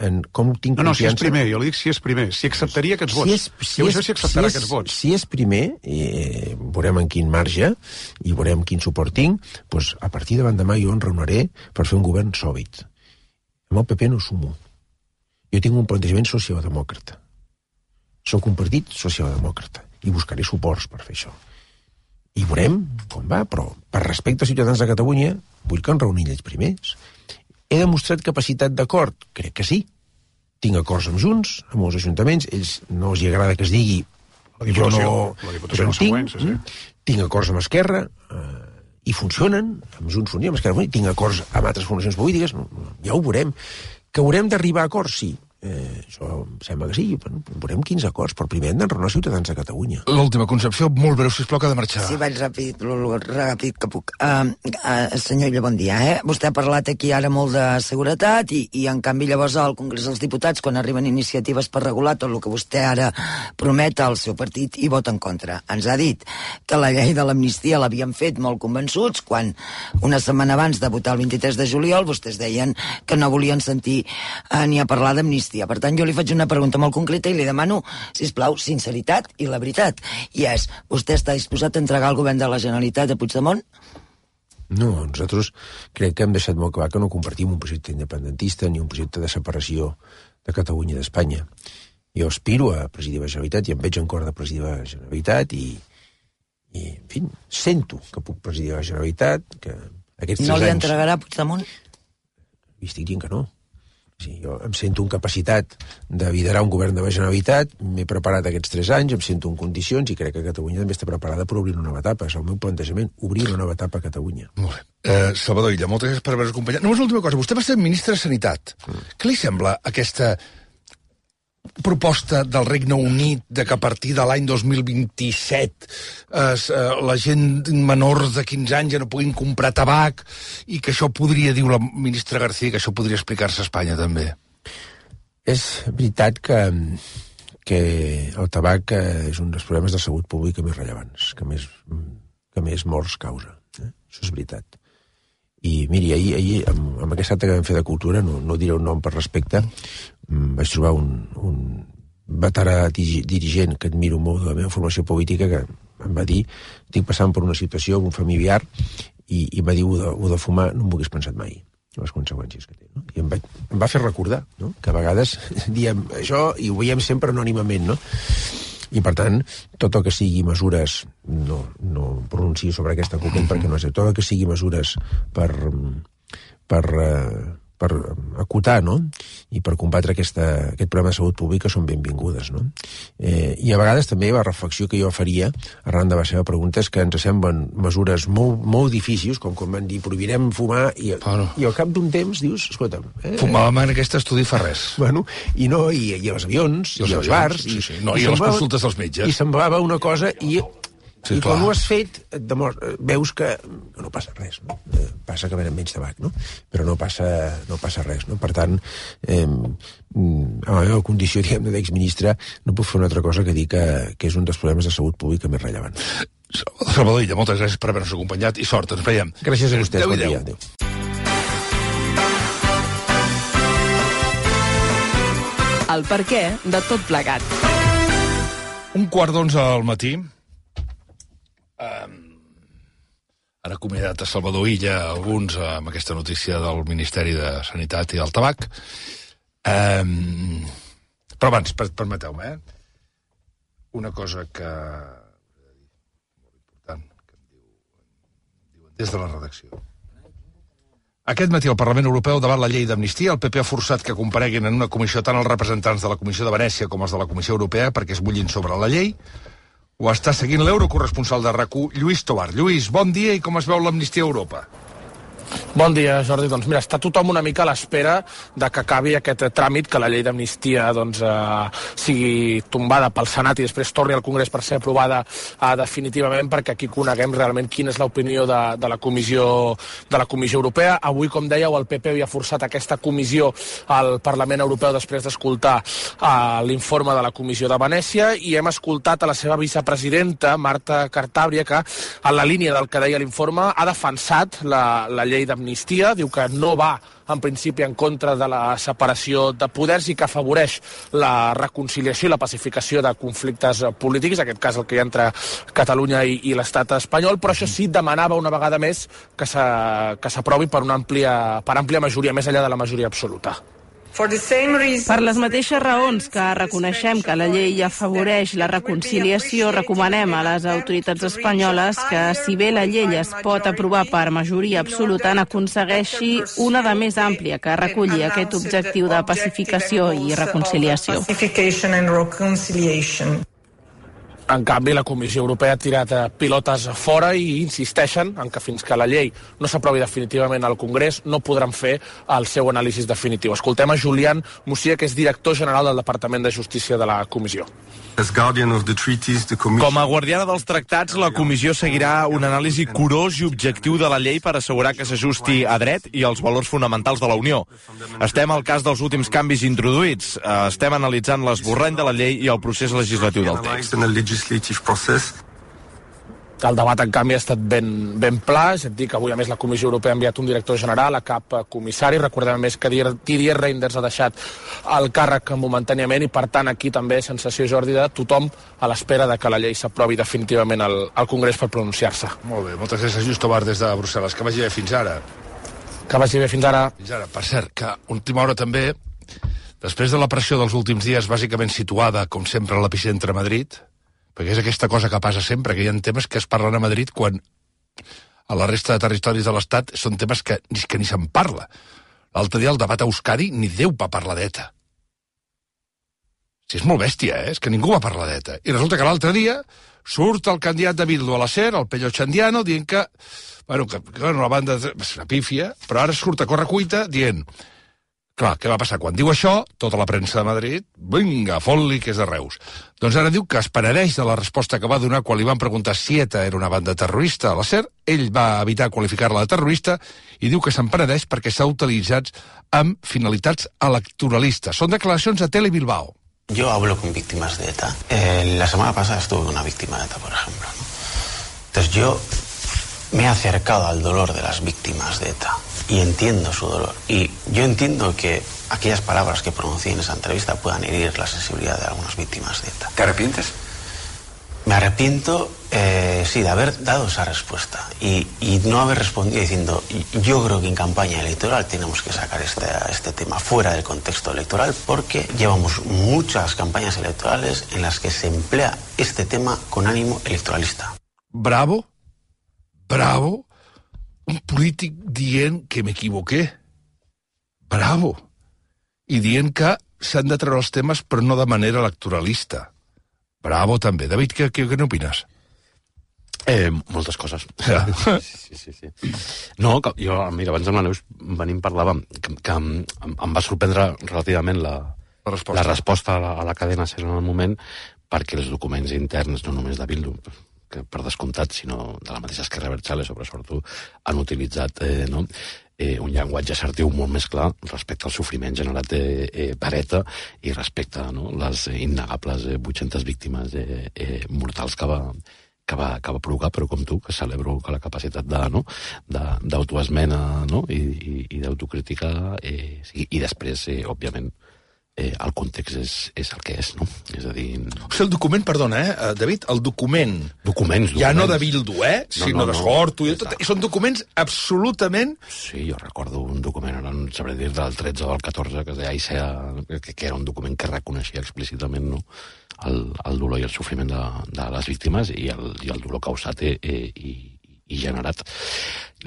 en com tinc no, no, confiança... No, si és primer, jo li dic si és primer, si acceptaria aquests vots. Si és, si jo és, sé si acceptarà si és, aquests vots. Si és primer, eh, veurem en quin marge i veurem quin suport tinc, doncs a partir de l'endemà jo en reuniré per fer un govern sòlid. Amb el P P no sumo. Jo tinc un plantejament socialdemòcrata. Soc un partit socialdemòcrata i buscaré suports per fer això. I veurem com va, però per respecte als ciutadans de Catalunya vull que en reunin ells primers. He demostrat capacitat d'acord? Crec que sí. Tinc acords amb Junts, amb els ajuntaments, ells no els agrada que es digui jo no... La Diputació no tinc, sí, sí. Tinc acords amb Esquerra, eh, i funcionen, amb Junts Unió, amb Esquerra, tinc acords amb altres formacions polítiques, ja ho veurem. Que haurem d'arribar a acords, sí. Eh, això em sembla que sí, bueno, veurem quins acords, però primer hem d'enraonar els ciutadans de Catalunya. L'última Concepció, molt breu, sisplau, que ha de marxar. Sí, vaig ràpid, lo ràpid que puc. Uh, uh, senyor Illa, bon dia. Eh? Vostè ha parlat aquí ara molt de seguretat i, i en canvi llavors al Congrés dels Diputats, quan arriben iniciatives per regular tot el que vostè ara promet al seu partit, i vota en contra. Ens ha dit que la llei de l'amnistia l'havien fet molt convençuts quan una setmana abans de votar el vint-i-tres de juliol vostès deien que no volien sentir uh, ni a parlar d'amnistia. Per tant, jo li faig una pregunta molt concreta i li demano, sisplau, sinceritat i la veritat. I és, vostè està disposat a entregar el govern de la Generalitat a Puigdemont? No, nosaltres crec que hem deixat molt clar que no compartim un projecte independentista ni un projecte de separació de Catalunya i d'Espanya. Jo aspiro a presidir la Generalitat i em veig en cor de presidir la Generalitat i, i en fi, sento que puc presidir la Generalitat, que aquests no li anys... entregarà Puigdemont? I estic dient que no. Sí, jo em sento en capacitat de liderar un govern de la Generalitat, m'he preparat aquests tres anys, em sento en condicions i crec que Catalunya també està preparada per obrir una nova etapa. És el meu plantejament, obrir una nova etapa a Catalunya. Molt bé. Eh, Salvador Illa, moltes gràcies per haver-nos acompanyat. Només l'última cosa, vostè va ser ministre de Sanitat. Mm. Què li sembla aquesta proposta del Regne Unit de que a partir de l'any dos mil vint-i-set eh, la gent menors de quinze anys ja no puguin comprar tabac i que això podria, diu la ministra García, que això podria explicar-se a Espanya també? És veritat que, que el tabac és un dels problemes de salut pública més rellevants, que més, que més morts causa. Eh? Això és veritat. I miri, ahir, ahir amb, amb aquest acte que vam fer de cultura, no, no diré un nom per respecte, vaig trobar un, un veterà dirigent que admiro molt de la meva formació política que em va dir, estic passant per una situació amb un familiar i, i va dir, ho de, ho de fumar no m'ho hagués pensat mai, les conseqüències que té. No? I em, vaig, em va fer recordar, no? Que a vegades diem això i ho veiem sempre anònimament, no? I, per tant, tot el que sigui mesures, no, no pronuncio sobre aquesta cuquent perquè no sé, tot el que sigui mesures per, per, per acotar, no?, i per combatre aquesta, aquest problema de salut pública són benvingudes, no? Eh, I a vegades també la reflexió que jo faria, arran de la seva pregunta, és que ens semblen mesures molt, molt difícils, com quan van dir prohibirem fumar, i, bueno. i al cap d'un temps dius, escolta'm... Eh, Fumàvem en aquest estudi fa res. Bueno, i no, i, i als avions, i, i als bars... Sí, sí. No, i, i a les consultes dels metges. I semblava una cosa, i... Sí, I clar. Quan ho has fet, veus que no passa res, no? Passa que venen menys tabac, no? Però no passa, no passa res, no? Per tant, eh, a la meva condició, diguem, d'exministre, no puc fer una altra cosa que dir que, que és un dels problemes de salut pública més rellevants. Salvador Illa, moltes gràcies per haver-nos acompanyat i sort, ens veiem. Gràcies a vostès, bon dia. Adéu. El perquè de tot plegat. Un quart d'onze al matí. Um, han acomiadat a Salvador Illa alguns amb aquesta notícia del Ministeri de Sanitat i del Tabac. Um, però abans, per, permeteu-me, eh? Una cosa que... molt important, que em diu, diuen des de la redacció. Aquest matí al Parlament Europeu, davant la llei d'amnistia, el P P ha forçat que compareguin en una comissió tant els representants de la Comissió de Venècia com els de la Comissió Europea perquè es bullin sobre la llei. Ho està seguint l'eurocorresponsal de RAC u, Lluís Tovar. Lluís, bon dia i com es veu l'amnistia a Europa? Bon dia, Jordi. Doncs mira, està tothom una mica a l'espera de que acabi aquest tràmit, que la llei d'amnistia doncs, eh, sigui tombada pel Senat i després torni al Congrés per ser aprovada eh, definitivament, perquè aquí coneguem realment quina és l'opinió de, de, la comissió, de la Comissió Europea. Avui, com dèieu, el P P havia forçat aquesta comissió al Parlament Europeu després d'escoltar eh, l'informe de la Comissió de Venècia i hem escoltat a la seva vicepresidenta, Marta Cartabria, que en la línia del que deia l'informe ha defensat la, la llei d'amnistia, diu que no va en principi en contra de la separació de poders i que afavoreix la reconciliació i la pacificació de conflictes polítics, en aquest cas el que hi ha entre Catalunya i, i l'estat espanyol, però això sí demanava una vegada més que s'aprovi per una àmplia, per àmplia majoria, més enllà de la majoria absoluta. Per les mateixes raons que reconeixem que la llei afavoreix la reconciliació, recomanem a les autoritats espanyoles que, si bé la llei es pot aprovar per majoria absoluta, n'aconsegueixi una de més àmplia que reculli aquest objectiu de pacificació i reconciliació. En canvi, la Comissió Europea ha tirat pilotes fora i insisteixen en que fins que la llei no s'aprovi definitivament al Congrés no podran fer el seu anàlisi definitiu. Escoltem a Julián Musia, que és director general del Departament de Justícia de la Comissió. Com a guardiana dels tractats, la Comissió seguirà un anàlisi curós i objectiu de la llei per assegurar que s'ajusti a dret i als valors fonamentals de la Unió. Estem al cas dels últims canvis introduïts. Estem analitzant l'esborrany de la llei i el procés legislatiu del text. El debat, en canvi, ha estat ben, ben pla, és a dir, que avui, a més, la Comissió Europea ha enviat un director general a cap comissari. Recordem, a més, que Didier Reynders ha deixat el càrrec momentàniament i, per tant, aquí també sensació, Jordi, de tothom a l'espera de que la llei s'aprovi definitivament al, al Congrés per pronunciar-se. Molt bé, moltes gràcies, Just Tovar, des de Brussel·les. Que vagi bé fins ara. Que vagi bé fins ara. Fins ara. Per cert, que última hora també després de la pressió dels últims dies, bàsicament situada, com sempre, a l'epicentre a Madrid, perquè és aquesta cosa que passa sempre, que hi ha temes que es parlen a Madrid quan a la resta de territoris de l'Estat són temes que, que ni se'n parla. L'altre dia el debat a Euskadi ni Déu va parlar d'ETA. Si és molt bèstia, eh? És que ningú va parlar d'ETA. I resulta que l'altre dia surt el candidat de Bildu a la SER, el Pello Chandiano, dient que, bueno, que, que bueno, la banda és una pífia, però ara surt a correcuita dient, clar, què va passar? Quan diu això, tota la premsa de Madrid, vinga, fot-li que és de Reus. Doncs ara diu que es penedeix de la resposta que va donar quan li van preguntar si ETA era una banda terrorista a la SER. Ell va evitar qualificar-la de terrorista i diu que se'n penedeix perquè s'ha utilitzat amb finalitats electoralistes. Són declaracions a Tele Bilbao. Yo hablo con víctimas de ETA. Eh, la semana pasada estuve con una víctima de ETA, por ejemplo, ¿no? Entonces yo me he acercado al dolor de las víctimas de ETA y entiendo su dolor. Y yo entiendo que aquellas palabras que pronuncié en esa entrevista puedan herir la sensibilidad de algunas víctimas de ETA. ¿Te arrepientes? Me arrepiento, eh, sí, de haber dado esa respuesta y, y no haber respondido diciendo yo creo que en campaña electoral tenemos que sacar este, este tema fuera del contexto electoral porque llevamos muchas campañas electorales en las que se emplea este tema con ánimo electoralista. Bravo, bravo, un polític dient que m'equivoqué. Bravo. I dient que s'han de treure els temes però no de manera electoralista. Bravo, també. David, què, què, què n'opines? Eh, moltes coses. Ja. Sí, sí, sí. No, que, jo, mira, abans amb la Neus venim parlàvem que, que em, em va sorprendre relativament la, la resposta, la resposta a, la, a la cadena SER en el moment, perquè els documents interns, no només de Bildu, que per descomptat, sinó de la mateixa Esquerra Abertzale, sobre sobretot, han utilitzat eh, no? eh, un llenguatge assertiu molt més clar respecte al sofriment generat eh, eh, per ETA i respecte a no? les innegables eh, vuit-centes víctimes eh, eh, mortals que va, que, va, que va provocar, però com tu, que celebro que la capacitat de, no? d'autoesmena no? i, i, i d'autocrítica eh, sí, i després, eh, òbviament, Eh, el context és, és el que és, no? És a dir... O sigui, el document, perdona, eh, David, el document... Documents, documents. Ja no de Bildu, eh? No, sinó no, de no. Sortu i tot. I són documents absolutament... Sí, jo recordo un document, ara no sabré dir del tretze o del catorze, que es deia Aisea, que, que era un document que reconeixia explícitament no? el, el dolor i el sofriment de, de les víctimes i el, i el dolor causat eh, i, i generat.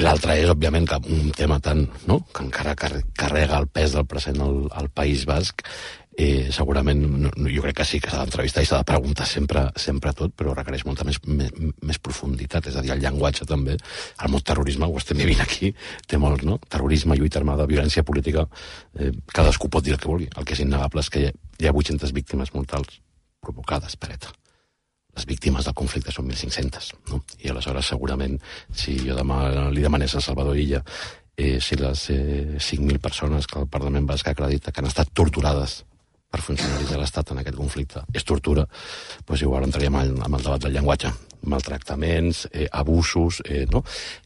L'altre és, òbviament, que un tema tan, no? que encara carrega el pes del present al, al País Basc, eh, segurament, no, jo crec que sí, que s'ha d'entrevistar i s'ha de preguntar sempre, sempre tot, però requereix molta més, més, més profunditat, és a dir, el llenguatge també, el mot terrorisme, ho estem vivint aquí, té molt, no? Terrorisme, lluita armada, violència política, eh, cadascú pot dir el que vulgui. El que és innegable és que hi ha, hi ha vuit-centes víctimes mortals provocades per ETA. Les víctimes del conflicte són mil cinc-centes, no? I aleshores, segurament, si jo demà li demanés a Salvador Illa eh, si les eh, cinc mil persones que el Parlament Basc acredita que han estat torturades per funcionaris de l'Estat en aquest conflicte és tortura, doncs igual entraríem amb, amb el debat del llenguatge. Maltractaments, eh, abusos, eh, no?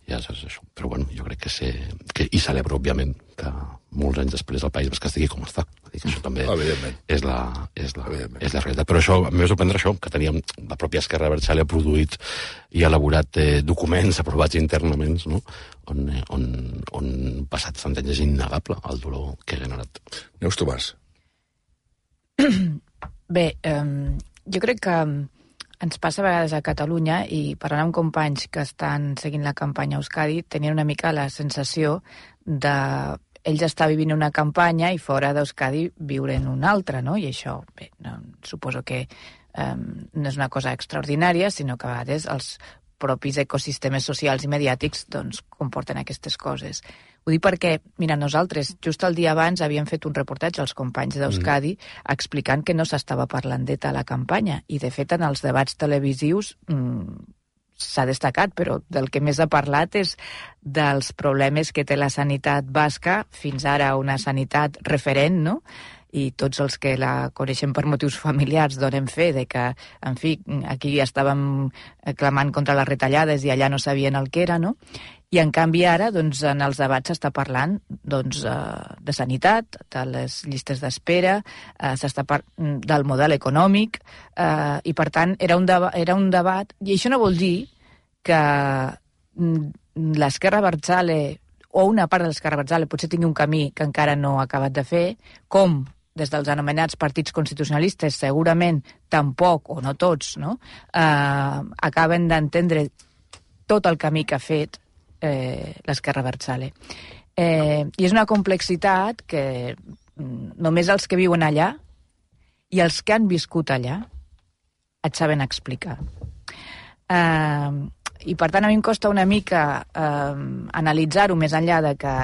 Ja saps això. Però bueno, jo crec que sé... Que, i celebro, òbviament, que molts anys després el País Basc estigui com està. Dir que això també és la, és, la, és la realitat. Però això, a mi va sorprendre això, que teníem la pròpia Esquerra Abertzale ha produït i ha elaborat eh, documents aprovats internament, no? on, eh, on, on passat tant anys és innegable el dolor que ha generat. Neus Tomàs. Bé, um, jo crec que ens passa a vegades a Catalunya i parlant amb companys que estan seguint la campanya a Euskadi tenien una mica la sensació de ells estar vivint una campanya i fora d'Euskadi viure en una altra, no? I això, bé, no, suposo que um, no és una cosa extraordinària, sinó que a vegades els propis ecosistemes socials i mediàtics doncs, comporten aquestes coses. Ho dic perquè, mira, nosaltres just el dia abans havíem fet un reportatge als companys d'Euskadi mm. explicant que no s'estava parlant d'ETA a la campanya i, de fet, en els debats televisius mmm, s'ha destacat, però del que més ha parlat és dels problemes que té la sanitat basca, fins ara una sanitat referent, no?, i tots els que la coneixem per motius familiars donem fe de que, en fi, aquí estàvem clamant contra les retallades i allà no sabien el que era, no? I, en canvi, ara, doncs, en els debats s'està parlant doncs, de sanitat, de les llistes d'espera, eh, s'està parlant del model econòmic, eh, i, per tant, era un, deba- era un debat... I això no vol dir que l'Esquerra Abertzale o una part de l'Esquerra Abertzale potser tingui un camí que encara no ha acabat de fer, com des dels anomenats partits constitucionalistes, segurament tampoc, o no tots, no? Eh, acaben d'entendre tot el camí que ha fet eh, l'Esquerra Abertzale. Eh, I és una complexitat que només els que viuen allà i els que han viscut allà et saben explicar. Eh, I, per tant, a mi em costa una mica eh, analitzar-ho més enllà de que,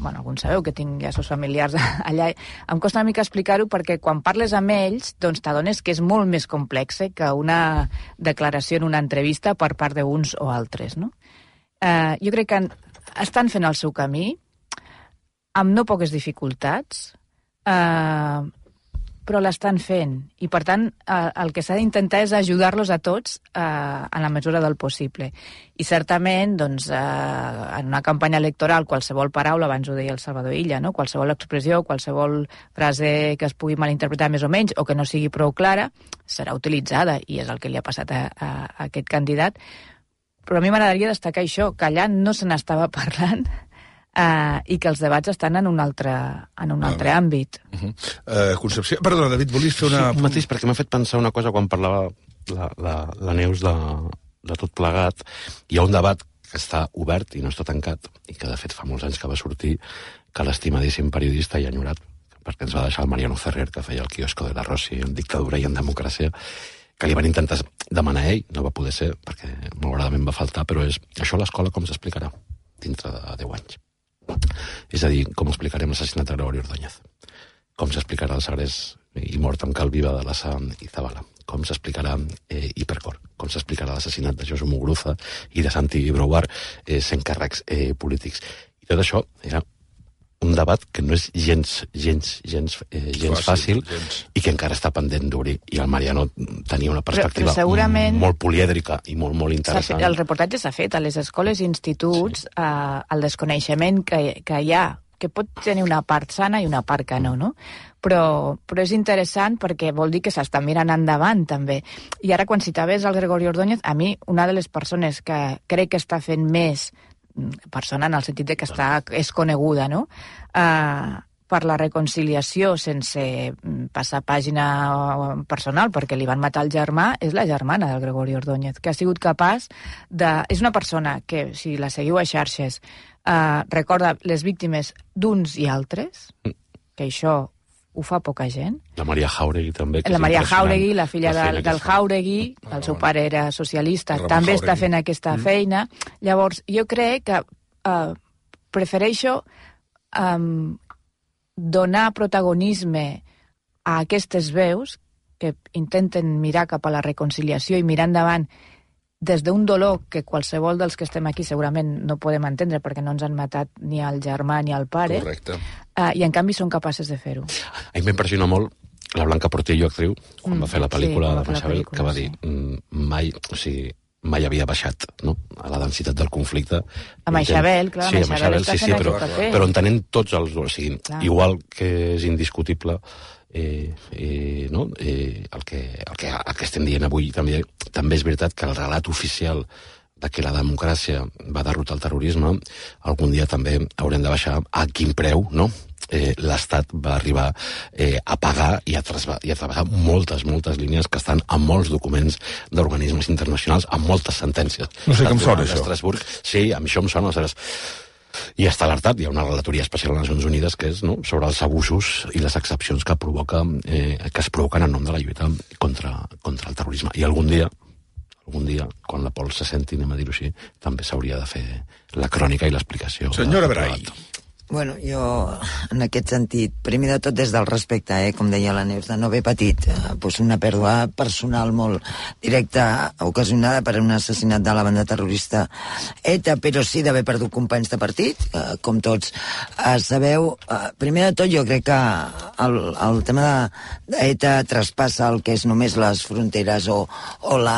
bueno, alguns sabeu que tinc ja sos familiars allà, em costa una mica explicar-ho perquè quan parles amb ells, doncs t'adones que és molt més complex que una declaració en una entrevista per part d'uns o altres, no? Eh, jo crec que estan fent el seu camí, amb no poques dificultats, eh, però l'estan fent. I, per tant, eh, el que s'ha d'intentar és ajudar-los a tots eh, en la mesura del possible. I, certament, doncs, eh, en una campanya electoral, qualsevol paraula, abans ho deia el Salvador Illa, no? Qualsevol expressió, qualsevol frase que es pugui malinterpretar més o menys, o que no sigui prou clara, serà utilitzada, i és el que li ha passat a, a, a aquest candidat. Però a mi m'agradaria destacar això, que allà no se n'estava parlant, Uh, i que els debats estan en un altre, en un altre ah, àmbit. Uh -huh. uh, Concepció... Perdona, David, volies fer una... Sí, mateix, perquè m'ha fet pensar una cosa quan parlava la, la, la Neus de, de tot plegat. Hi ha un debat que està obert i no està tancat, i que de fet fa molts anys que va sortir, que l'estimadíssim periodista i enyorat, perquè ens va deixar el Mariano Ferrer, que feia el quiosco de la Rossi en dictadura i en democràcia, que li van intentar demanar a ell, no va poder ser, perquè malauradament va faltar, però és això a l'escola com s'explicarà dintre de deu anys. És a dir, com explicarem l'assassinat de Gregorio Ordóñez, com s'explicarà el segrest i mort amb cal viva de la Sam i Zabala, com s'explicarà eh, Hipercor, com s'explicarà l'assassinat de Josu Muguruza i de Santi Brouard eh, sent càrrecs eh, polítics. I tot això era un debat que no és gens, gens, gens, eh, gens fàcil, fàcil gens. I que encara està pendent d'obrir. I el Mariano tenia una perspectiva però, però segurament... molt polièdrica i molt, molt interessant. El reportatge s'ha fet a les escoles i instituts, sí. eh, el desconeixement que, que hi ha, que pot tenir una part sana i una part que no, no? Però, però és interessant perquè vol dir que s'està mirant endavant, també. I ara, quan citaves el Gregorio Ordóñez, a mi, una de les persones que crec que està fent més persona en el sentit de que està, és coneguda, no? Uh, per la reconciliació sense passar pàgina personal, perquè li van matar el germà, és la germana del Gregorio Ordóñez, que ha sigut capaç de... És una persona que, si la seguiu a xarxes, uh, recorda les víctimes d'uns i altres, que això ho fa poca gent. La Maria Jauregui també. La Maria Jauregui, la filla la del, del Jauregui, el seu pare era socialista, també Jauregui. Està fent aquesta mm. feina. Llavors, jo crec que uh, prefereixo um, donar protagonisme a aquestes veus que intenten mirar cap a la reconciliació i mirar endavant des d'un dolor que qualsevol dels que estem aquí segurament no podem entendre perquè no ens han matat ni el germà ni el pare. Correcte. Uh, I en canvi són capaces de fer-ho. A mi m'impressiona molt la Blanca Portillo, actriu, quan mm, va fer la pel·lícula sí, de Maixabel, que va dir sí. mai, o sigui, mai havia baixat, no?, a la densitat del conflicte. A Maixabel, clar, sí, a Maixabel sí, sí, però, però entenent tots els... O sigui, clar. Igual que és indiscutible eh, eh, no? eh, el, que, el, que, el que estem dient avui, també, també és veritat que el relat oficial de que la democràcia va derrotar el terrorisme, algun dia també haurem de baixar a quin preu, no?, eh, l'Estat va arribar eh, a pagar i a, i a travessar moltes, moltes línies que estan en molts documents d'organismes internacionals, en moltes sentències. No sé com sona, això. Estrasburg. Sí, a mi això em sona. I està alertat, hi ha una relatoria especial a les Nacions Unides que és, no?, sobre els abusos i les excepcions que provoca, eh, que es provoquen en nom de la lluita contra, contra el terrorisme. I algun dia, algun dia, quan la Pol se senti, anem a dir-ho així, també s'hauria de fer la crònica i l'explicació. Senyora Brai. Bueno, jo, en aquest sentit, primer de tot des del respecte, eh, com deia la Neus, de no haver patit eh, doncs una pèrdua personal molt directa ocasionada per un assassinat de la banda terrorista ETA, però sí d'haver perdut companys de partit, eh, com tots eh, sabeu. Eh, primer de tot, jo crec que el, el tema d'ETA traspassa el que és només les fronteres o, o la,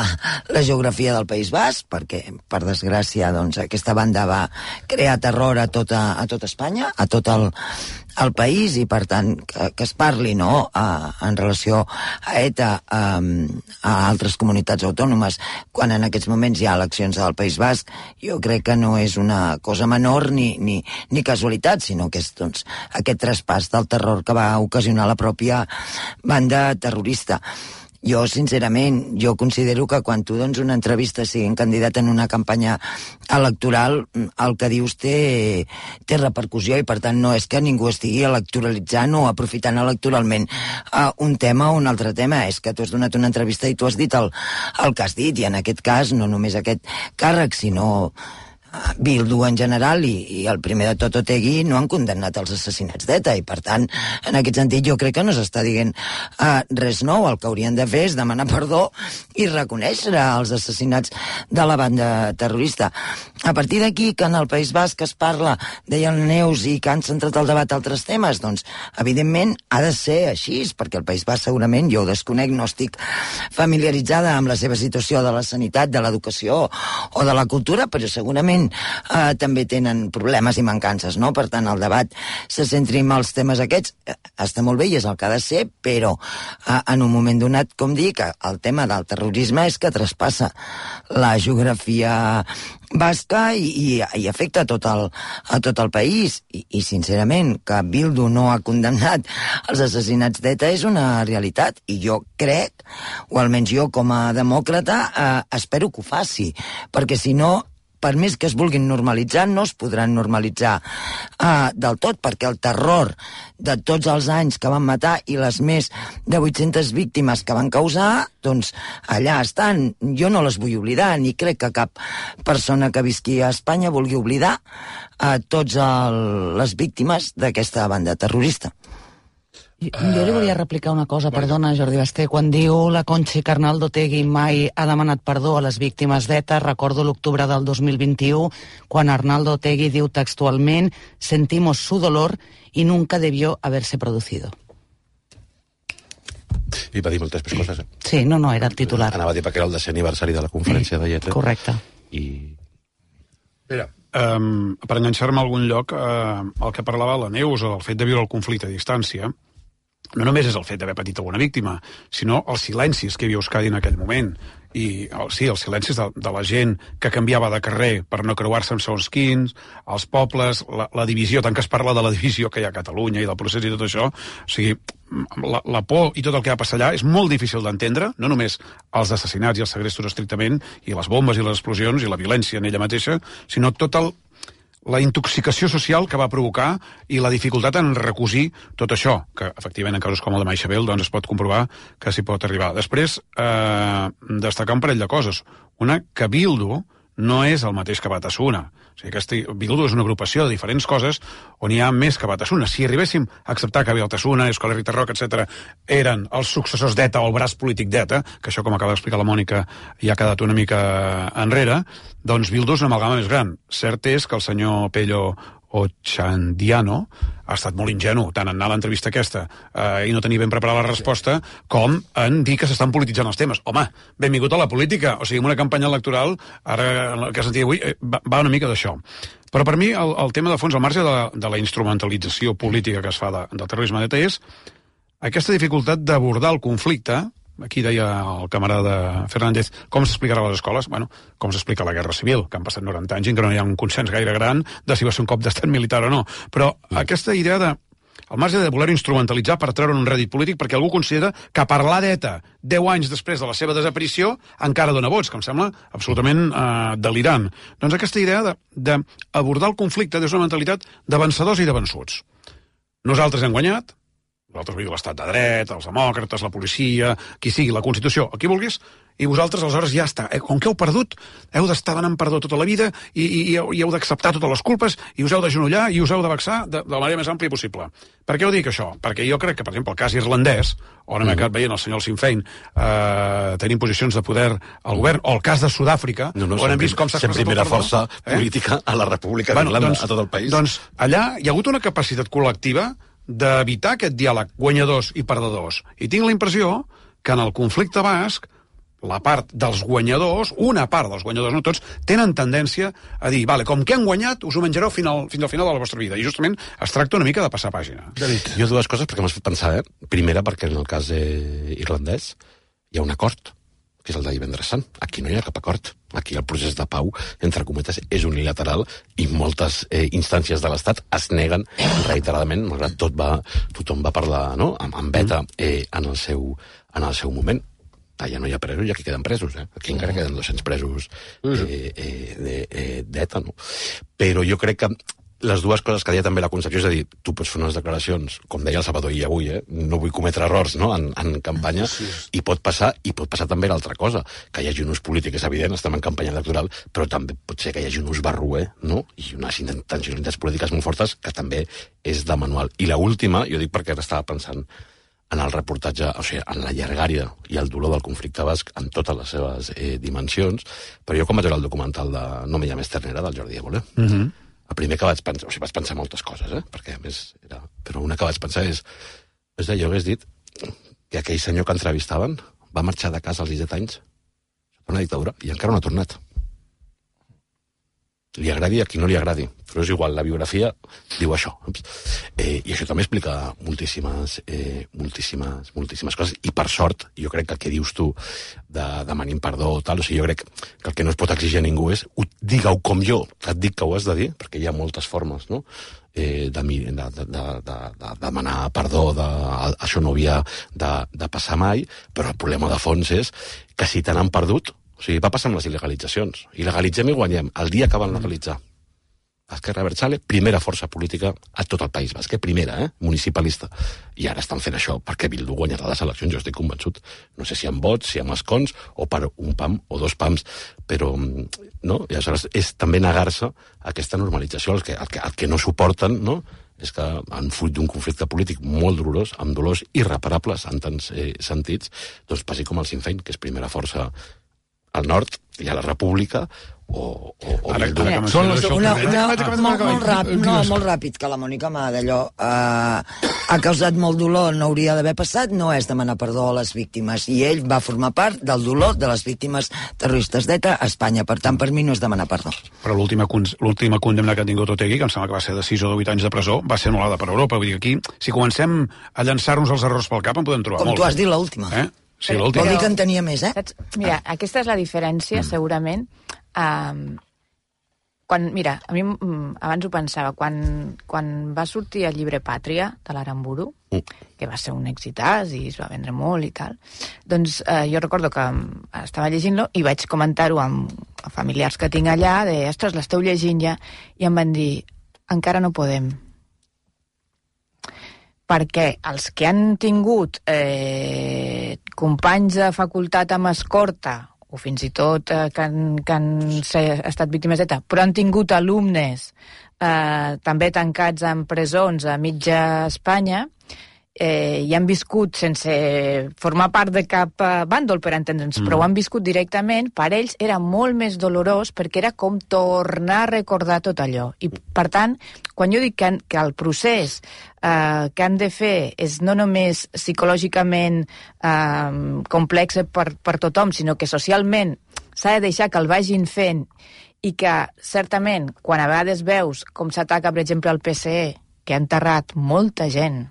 la geografia del País Basc, perquè, per desgràcia, doncs, aquesta banda va crear terror a tota, a tota Espanya, a tot el, al país i, per tant, que, que es parli, no?, a, en relació a ETA, a, a altres comunitats autònomes, quan en aquests moments hi ha eleccions al País Basc, jo crec que no és una cosa menor ni, ni, ni casualitat, sinó que és, doncs, aquest traspàs del terror que va ocasionar la pròpia banda terrorista. Jo, sincerament, jo considero que quan tu dones una entrevista siguent candidat en una campanya electoral, el que dius té, té repercussió i, per tant, no és que ningú estigui electoralitzant o aprofitant electoralment uh, un tema o un altre tema. És que tu has donat una entrevista i tu has dit el, el que has dit, i en aquest cas no només aquest càrrec, sinó Bildu en general i, i el primer de tot Otegi no han condemnat els assassinats d'ETA i, per tant, en aquest sentit jo crec que no s'està dient uh, res nou. El que haurien de fer és demanar perdó i reconèixer els assassinats de la banda terrorista. A partir d'aquí, que en el País Basc es parla, deia el Neus, i que han centrat el debat a altres temes, doncs, evidentment, ha de ser així, perquè el País Basc segurament, jo ho desconec, no estic familiaritzada amb la seva situació de la sanitat, de l'educació o de la cultura, però segurament Uh, també tenen problemes i mancances, no? Per tant, el debat se centri en els temes aquests, uh, està molt bé i és el que ha de ser, però uh, en un moment donat, com dic, el tema del terrorisme és que traspassa la geografia basca i, i, i afecta a tot el, a tot el país. I, i, sincerament, que Bildu no ha condemnat els assassinats d'ETA és una realitat, i jo crec, o almenys jo com a demòcrata, uh, espero que ho faci, perquè si no, per més que es vulguin normalitzar, no es podran normalitzar uh, del tot, perquè el terror de tots els anys que van matar i les més de vuit-centes víctimes que van causar, doncs allà estan. Jo no les vull oblidar, ni crec que cap persona que visqui a Espanya vulgui oblidar uh, tots el, les víctimes d'aquesta banda terrorista. Jo li volia replicar una cosa, perdona, Jordi Basté. Quan diu la Conchi que Arnaldo Otegi mai ha demanat perdó a les víctimes d'ETA, recordo l'octubre del dos mil vint-i-u, quan Arnaldo Otegi diu textualment «sentimos su dolor y nunca debió haberse producido». I va dir moltes més coses. Eh? Sí, no, no, era el titular. Anava a dir perquè era el desè aniversari de la conferència de lletra. Correcte. I... Mira, um, per enganxar-me a algun lloc, uh, el que parlava la Neus, el fet de viure el conflicte a distància, no només és el fet d'haver patit alguna víctima, sinó els silencis que hi havia a Euskadi en aquell moment. I sí, els silencis de, de la gent que canviava de carrer per no creuar-se amb segons quins, els pobles, la, la divisió, tant que es parla de la divisió que hi ha a Catalunya i del procés i tot això, o sigui, la, la por i tot el que va passar allà és molt difícil d'entendre, no només els assassinats i els segrestos estrictament, i les bombes i les explosions i la violència en ella mateixa, sinó tot el la intoxicació social que va provocar i la dificultat en recosir tot això, que efectivament en casos com el de Maixabel doncs es pot comprovar que s'hi pot arribar. Després, eh, destacar un parell de coses. Una, que Bildu no és el mateix que Batasuna. O sigui, aquesta Bildu és una agrupació de diferents coses on hi ha més que Batasuna. Si arribéssim a acceptar que Batasuna, Euskal Herria Rock, etcètera, eren els successors d'ETA o el braç polític d'ETA, que això, com acaba d'explicar la Mònica, ja ha quedat una mica enrere, doncs Bildu és una amalgama més gran. Cert és que el senyor Pello Otxandiano ha estat molt ingenu, tant en anar a l'entrevista aquesta eh, i no tenir ben preparada la resposta, com en dir que s'estan polititzant els temes. Home, benvingut a la política. O sigui, una campanya electoral, ara que sentia avui, eh, va, va una mica d'això. Però per mi el, el tema de fons, al marge de, de la instrumentalització política que es fa de, del terrorisme d'ETA, és aquesta dificultat d'abordar el conflicte. Aquí deia el camarada Fernández, com s'explicarà a les escoles? Bueno, com s'explica la Guerra Civil, que han passat noranta anys i que no hi ha un consens gaire gran de si va ser un cop d'estat militar o no. Però aquesta idea de, al marge de voler instrumentalitzar per treure un rèdit polític, perquè algú considera que parlar d'ETA deu anys després de la seva desaparició encara dona vots, que em sembla absolutament eh, delirant. Doncs aquesta idea d'abordar el conflicte des d'una mentalitat de vencedors i de vençuts. Nosaltres hem guanyat, nosaltres vull dir l'estat de dret, els demòcrates, la policia, qui sigui, la Constitució, el qui vulguis, i vosaltres aleshores ja està. Com que heu perdut, heu d'estar demanant perdó tota la vida i, i, i heu d'acceptar totes les culpes i us heu d'agenollar i us heu de vexar de, de la manera més àmplia possible. Per què ho dic, això? Perquè jo crec que, per exemple, el cas irlandès, on hem acabat veient el senyor Sinn Féin eh, tenint posicions de poder al govern, o el cas de Sud-àfrica, no, no, on hem vist com s'ha expressat primera el perdó, força eh? política a la República bueno, d'Irlanda, doncs, a tot el país. Doncs allà hi ha hagut una capacitat col·lectiva d'evitar aquest diàleg guanyadors i perdedors. I tinc la impressió que en el conflicte basc la part dels guanyadors, una part dels guanyadors, no tots, tenen tendència a dir, vale, com que han guanyat, us ho menjareu fins al, fins al final de la vostra vida. I justament es tracta una mica de passar pàgina. David. Jo dues coses perquè m'has fet pensar, eh? Primera, perquè en el cas eh, irlandès hi ha un acord, que és el de divendres sant. Aquí no hi ha cap acord. Aquí el procés de pau, entre cometes, és unilateral i moltes eh, instàncies de l'Estat es neguen reiteradament, malgrat tot va, tothom va parlar, no?, amb, amb beta eh, en, el seu, en el seu moment. Allà no hi ha presos i aquí queden presos, eh? Aquí encara queden dos-cents presos eh, eh, de, eh, d'ETA, no? Però jo crec que les dues coses que deia també la Concepció, és a dir, tu pots fer unes declaracions, com deia el Salvador i avui, eh? No vull cometre errors, no?, en, en campanya, i pot passar, i pot passar també l'altra cosa, que hi hagi un ús polític, és evident, estem en campanya electoral, però també pot ser que hi hagi un ús barroer, no?, i unes intencionalitats polítiques molt fortes, que també és de manual. I l'última, jo dic perquè ara estava pensant en el reportatge, o sigui, en la llargària i el dolor del conflicte basc en totes les seves eh, dimensions, però jo quan vaig veure el documental de No me llames ternera, del Jordi Évole, mm-hmm. el primer que vaig pensar, o sigui, vaig pensar moltes coses, eh? Perquè a més era... Però una que vaig pensar és, és jo hagués dit que aquell senyor que entrevistaven va marxar de casa als disset anys, sota una dictadura, i encara no ha tornat. Li agradi a qui no li agradi, però és igual, la biografia diu això. Eh, I això també explica moltíssimes, eh, moltíssimes, moltíssimes coses, i per sort, jo crec que el que dius tu de demanin perdó o tal, o sigui, jo crec que el que no es pot exigir a ningú és digue-ho com jo, que et dic que ho has de dir, perquè hi ha moltes formes, no?, eh, de, de, de, de, de demanar perdó, de, això no havia de, de passar mai, però el problema de fons és que si te n'han perdut, o sigui, va passar amb les il·legalitzacions. Il·legalitzem i guanyem. El dia que van legalitzar Esquerra Abertzale, primera força política a tot el País Basc, primera, eh? Municipalista. I ara estan fent això perquè Bildu guanyarà les eleccions, jo estic convençut. No sé si amb vots, si amb escons, o per un pam o dos pams, però no? I aleshores és també negar-se a aquesta normalització. El que, el que, el que no suporten, no?, és que en fruit d'un conflicte polític molt dolorós, amb dolors irreparables en tants eh, sentits, doncs passi com el Sinn Féin, que és primera força al nord, hi ha la República, o... o, o Ara, que una, una, molt, molt, ràpid, no, molt ràpid, que la Mònica m'ha d'allò eh, ha causat molt dolor, no hauria d'haver passat, no és demanar perdó a les víctimes, i ell va formar part del dolor de les víctimes terroristes d'ETA a Espanya, per tant, per mi no és demanar perdó. Però l'última condemna que ha tingut Otegi, que em sembla que va ser de sis o de vuit anys de presó, va ser anul·lada per Europa. Vull dir, aquí, si comencem a llançar-nos els errors pel cap, en podem trobar Com molts. tu has dit, l'última. Eh? Sí, Vol dir que en tenia més, eh? Saps? Mira, aquesta és la diferència, segurament. Um, quan, mira, a mi um, abans ho pensava, quan, quan va sortir el llibre Pàtria, de l'Aramburu, que va ser un èxitàs i es va vendre molt i tal, doncs eh, jo recordo que estava llegint-lo i vaig comentar-ho amb familiars que tinc allà, de, ostres, l'esteu llegint ja, i em van dir, encara no podem. Perquè els que han tingut eh, companys de facultat amb escorta, o fins i tot eh, que han, que han estat víctimes d'ETA, però han tingut alumnes eh, també tancats en presons a mitja Espanya, eh, i han viscut sense formar part de cap eh, bàndol, per entendre'ns, mm. però ho han viscut directament, per ells era molt més dolorós perquè era com tornar a recordar tot allò. I, per tant, quan jo dic que, que el procés eh, que han de fer és no només psicològicament eh, complex per, per tothom, sinó que socialment s'ha de deixar que el vagin fent i que, certament, quan a vegades veus com s'ataca, per exemple, el P S E, que ha enterrat molta gent,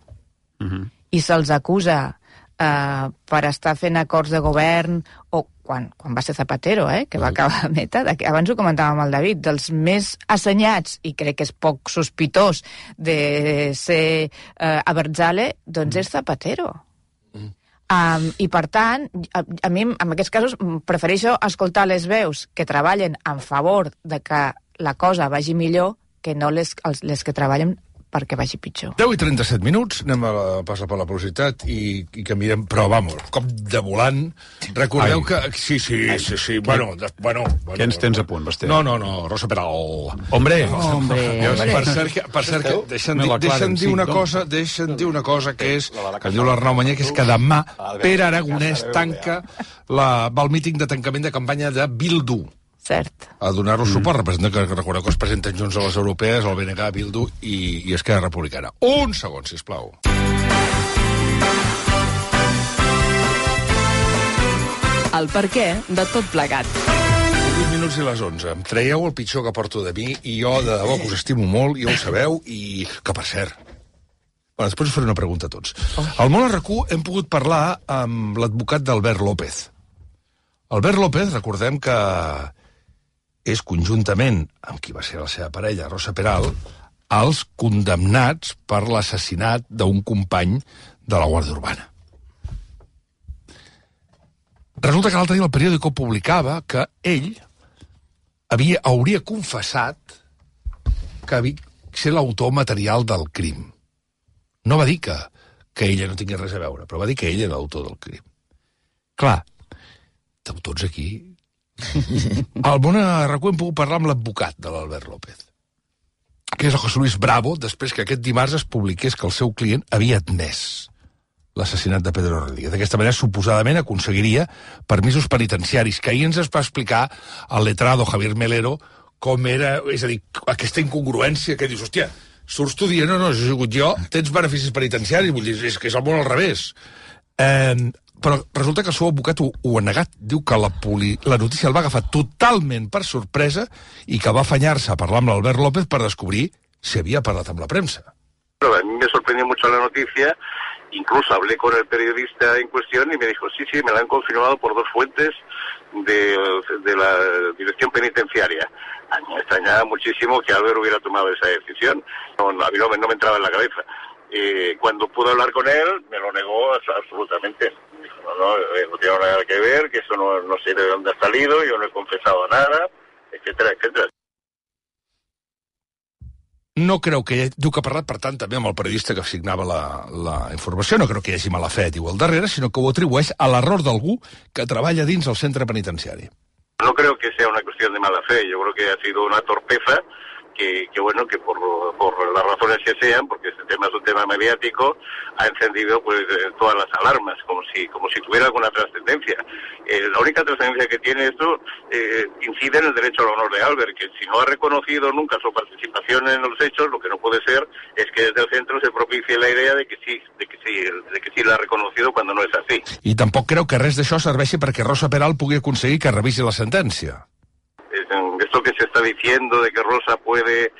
Uh-huh. i se'ls acusa uh, per estar fent acords de govern, o quan, quan va ser Zapatero, eh, que va acabar a meta, de, abans ho comentàvem amb el David, dels més assenyats, i crec que és poc sospitós de ser uh, Abertzale, doncs és Zapatero. Uh-huh. Um, I per tant, a, a mi en aquests casos prefereixo escoltar les veus que treballen en favor de que la cosa vagi millor que no les, les que treballen perquè vagi pitjor. deu i trenta-set minuts, anem a passar per la velocitat i, i canviem, però vamos, cop de volant. Recordeu Ai. que... Sí, sí, Ai. sí, sí, bueno, de, bueno, bueno... Què ens tens a punt, Basté? No, no, no, Rosa Peral. Hombre! Hombre! Per cert, que, per cert que deixen, di, deixen dir una cosa, deixen dir una cosa que és, que diu l'Arnau Manyer, que és que demà Pere Aragonès tanca la, va al míting de tancament de campanya de Bildu. Cert. A donar-los suport. Mm. Representa que recordeu que es presenten junts a les europees, el B N G, Bildu i, i Esquerra Republicana. Un segon, sisplau. El perquè de tot plegat. vuit minuts i les onze. Em traieu el pitjor que porto de mi i jo, de debò, que us estimo molt, ja ho sabeu, i que, per cert, bueno, després us faré una pregunta a tots. Al Món a RAC1 hem pogut parlar amb l'advocat d'Albert López. Albert López, recordem que és conjuntament amb qui va ser la seva parella, Rosa Peral, els condemnats per l'assassinat d'un company de la Guàrdia Urbana. Resulta que l'altre dia el periòdico publicava que ell havia, hauria confessat que havia ser l'autor material del crim. No va dir que, que ella no tingués res a veure, però va dir que ell era l'autor del crim. Clar, tots aquí... Al Món a RAC1 hem pogut parlar amb l'advocat de l'Albert López, que és el José Luis Bravo, després que aquest dimarts es publiqués que el seu client havia admès l'assassinat de Pedro Rodríguez. D'aquesta manera, suposadament, aconseguiria permisos penitenciaris, que ahir ens es va explicar el letrado Javier Melero com era, és a dir, aquesta incongruència que dius, hòstia, surts tu dient, no, no, he sigut jo, tens beneficis penitenciaris, vull dir, és que és el món al revés. Eh, però resulta que el seu advocat ho, ho ha negat. Diu que la, poli, la notícia el va agafar totalment per sorpresa i que va afanyar-se a parlar amb l'Albert López per descobrir si havia parlat amb la premsa. Pero a mí me sorprendió mucho la noticia, incluso hablé con el periodista en cuestión y me dijo, sí, sí, me la han confirmado por dos fuentes de, de la dirección penitenciaria. A mí me extrañaba muchísimo que Albert hubiera tomado esa decisión, no, no, a mí no me, no me entraba en la cabeza. Eh, cuando pude hablar con él, me lo negó absolutamente. Dijo, no, no, no tiene nada que ver, que eso no, no sé de dónde ha salido, yo no he confesado nada, etcétera, etcétera. No creu que... Hi, diu que ha parlat, per tant, també amb el periodista que signava la, la informació. No creu que hi hagi mala fe, diu, al darrere, sinó que ho atribueix a l'error d'algú que treballa dins el centre penitenciari. No creo que sea una cuestión de mala fe, yo creo que ha sido una torpeza que, que bueno, que por, por las razones que sean, porque este tema es un tema mediático, ha encendido pues todas las alarmas, como si como si tuviera alguna trascendencia. Eh, la única trascendencia que tiene esto eh, incide en el derecho al honor de Albert, que si no ha reconocido nunca su participación en los hechos, lo que no puede ser es que desde el centro se propicie la idea de que sí, de que sí, de que sí la ha reconocido cuando no es así. I tampoc creu que res d'això serveixi perquè Rosa Peral pugui aconseguir que revisi la sentència. Esto que se está diciendo de que Rosa puede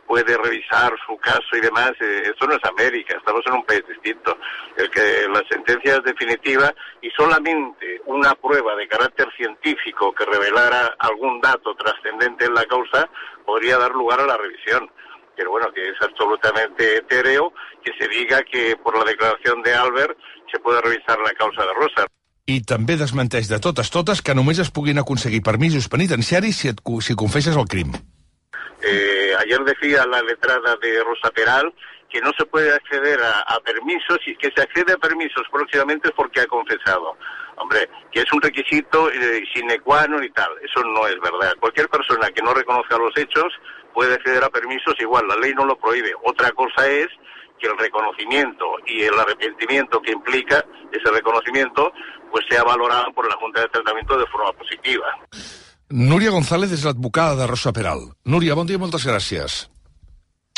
puede revisar su caso y demás, eh, esto no es América, estamos en un país distinto. El que la sentencia es definitiva y solamente una prueba de carácter científico que revelara algún dato trascendente en la causa podría dar lugar a la revisión. Pero bueno, que es absolutamente etéreo que se diga que por la declaración de Albert se puede revisar la causa de Rosa. I també desmenteix de totes totes que només es puguin aconseguir permisos penitenciaris si, et, si confesses el crim. Eh, ayer decía la letrada de Rosa Peral que no se puede acceder a, a permisos y que se accede a permisos próximamente es porque ha confesado. Hombre, que es un requisito eh, sine qua non y tal, eso no es verdad. Cualquier persona que no reconozca los hechos puede acceder a permisos, igual, la ley no lo prohíbe. Otra cosa es que el reconocimiento y el arrepentimiento que implica ese reconocimiento pues sea valorado por la Junta de Tratamiento de forma positiva. Núria González és l'advocada de Rosa Peral. Núria, bon dia i moltes gràcies.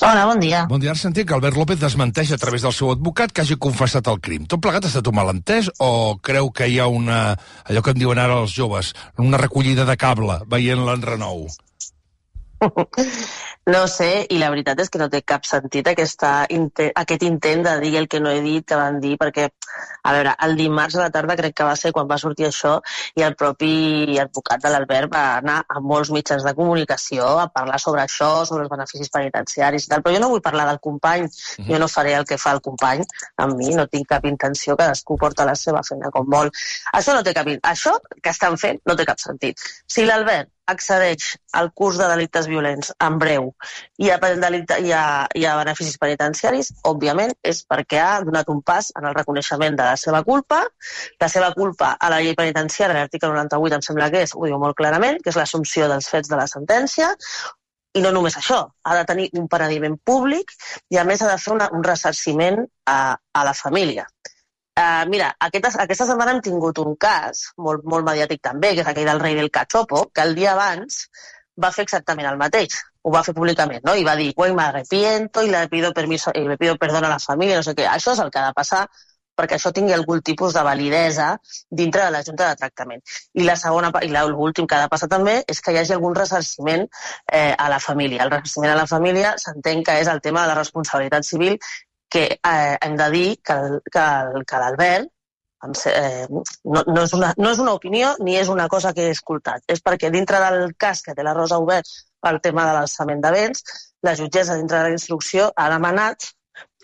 Hola, bon dia. Bon dia. Ara sentim que Albert López desmenteix a través del seu advocat que hagi confessat el crim. Tot plegat ha estat un malentès o creu que hi ha una, allò que en diuen ara els joves, una recollida de cable veient l'enrenou? No sé, i la veritat és que no té cap sentit aquesta, aquest intent de dir el que no he dit, que van dir, perquè, a veure, el dimarts a la tarda crec que va ser quan va sortir això i el propi advocat de l'Albert va anar a molts mitjans de comunicació a parlar sobre això, sobre els beneficis penitenciaris i tal, però jo no vull parlar del company, mm-hmm. jo no faré el que fa el company amb mi, no tinc cap intenció, cadascú porta la seva feina com vol. Això no té cap, això que estan fent no té cap sentit. Si l'Albert accedeix al curs de delictes violents en breu i a, i, a, i a beneficis penitenciaris, òbviament és perquè ha donat un pas en el reconeixement de la seva culpa. La seva culpa a la llei penitenciària, l'article noranta-vuit em sembla que és, ho diu molt clarament, que és l'assumpció dels fets de la sentència, i no només això, ha de tenir un penediment públic i a més ha de fer una, un ressarciment a, a la família. Uh, mira, aquesta, aquesta setmana hem tingut un cas, molt, molt mediàtic també, que és aquell del rei del cachopo, que el dia abans va fer exactament el mateix. Ho va fer públicament, no? I va dir, güey, me arrepiento y le pido permiso, y le pido perdón a la família, no sé què. Això és el que ha de passar perquè això tingui algun tipus de validesa dintre de la Junta de Tractament. I la segona, i l'últim que ha de passar també és que hi hagi algun ressarciment eh, a la família. El ressarciment a la família s'entén que és el tema de la responsabilitat civil, que eh, hem de dir que, que, que l'Albert eh, no, no, és una, no és una opinió ni és una cosa que he escoltat. És perquè dintre del cas que té la Rosa obert pel tema de l'alçament de béns, la jutgessa dintre de la instrucció ha demanat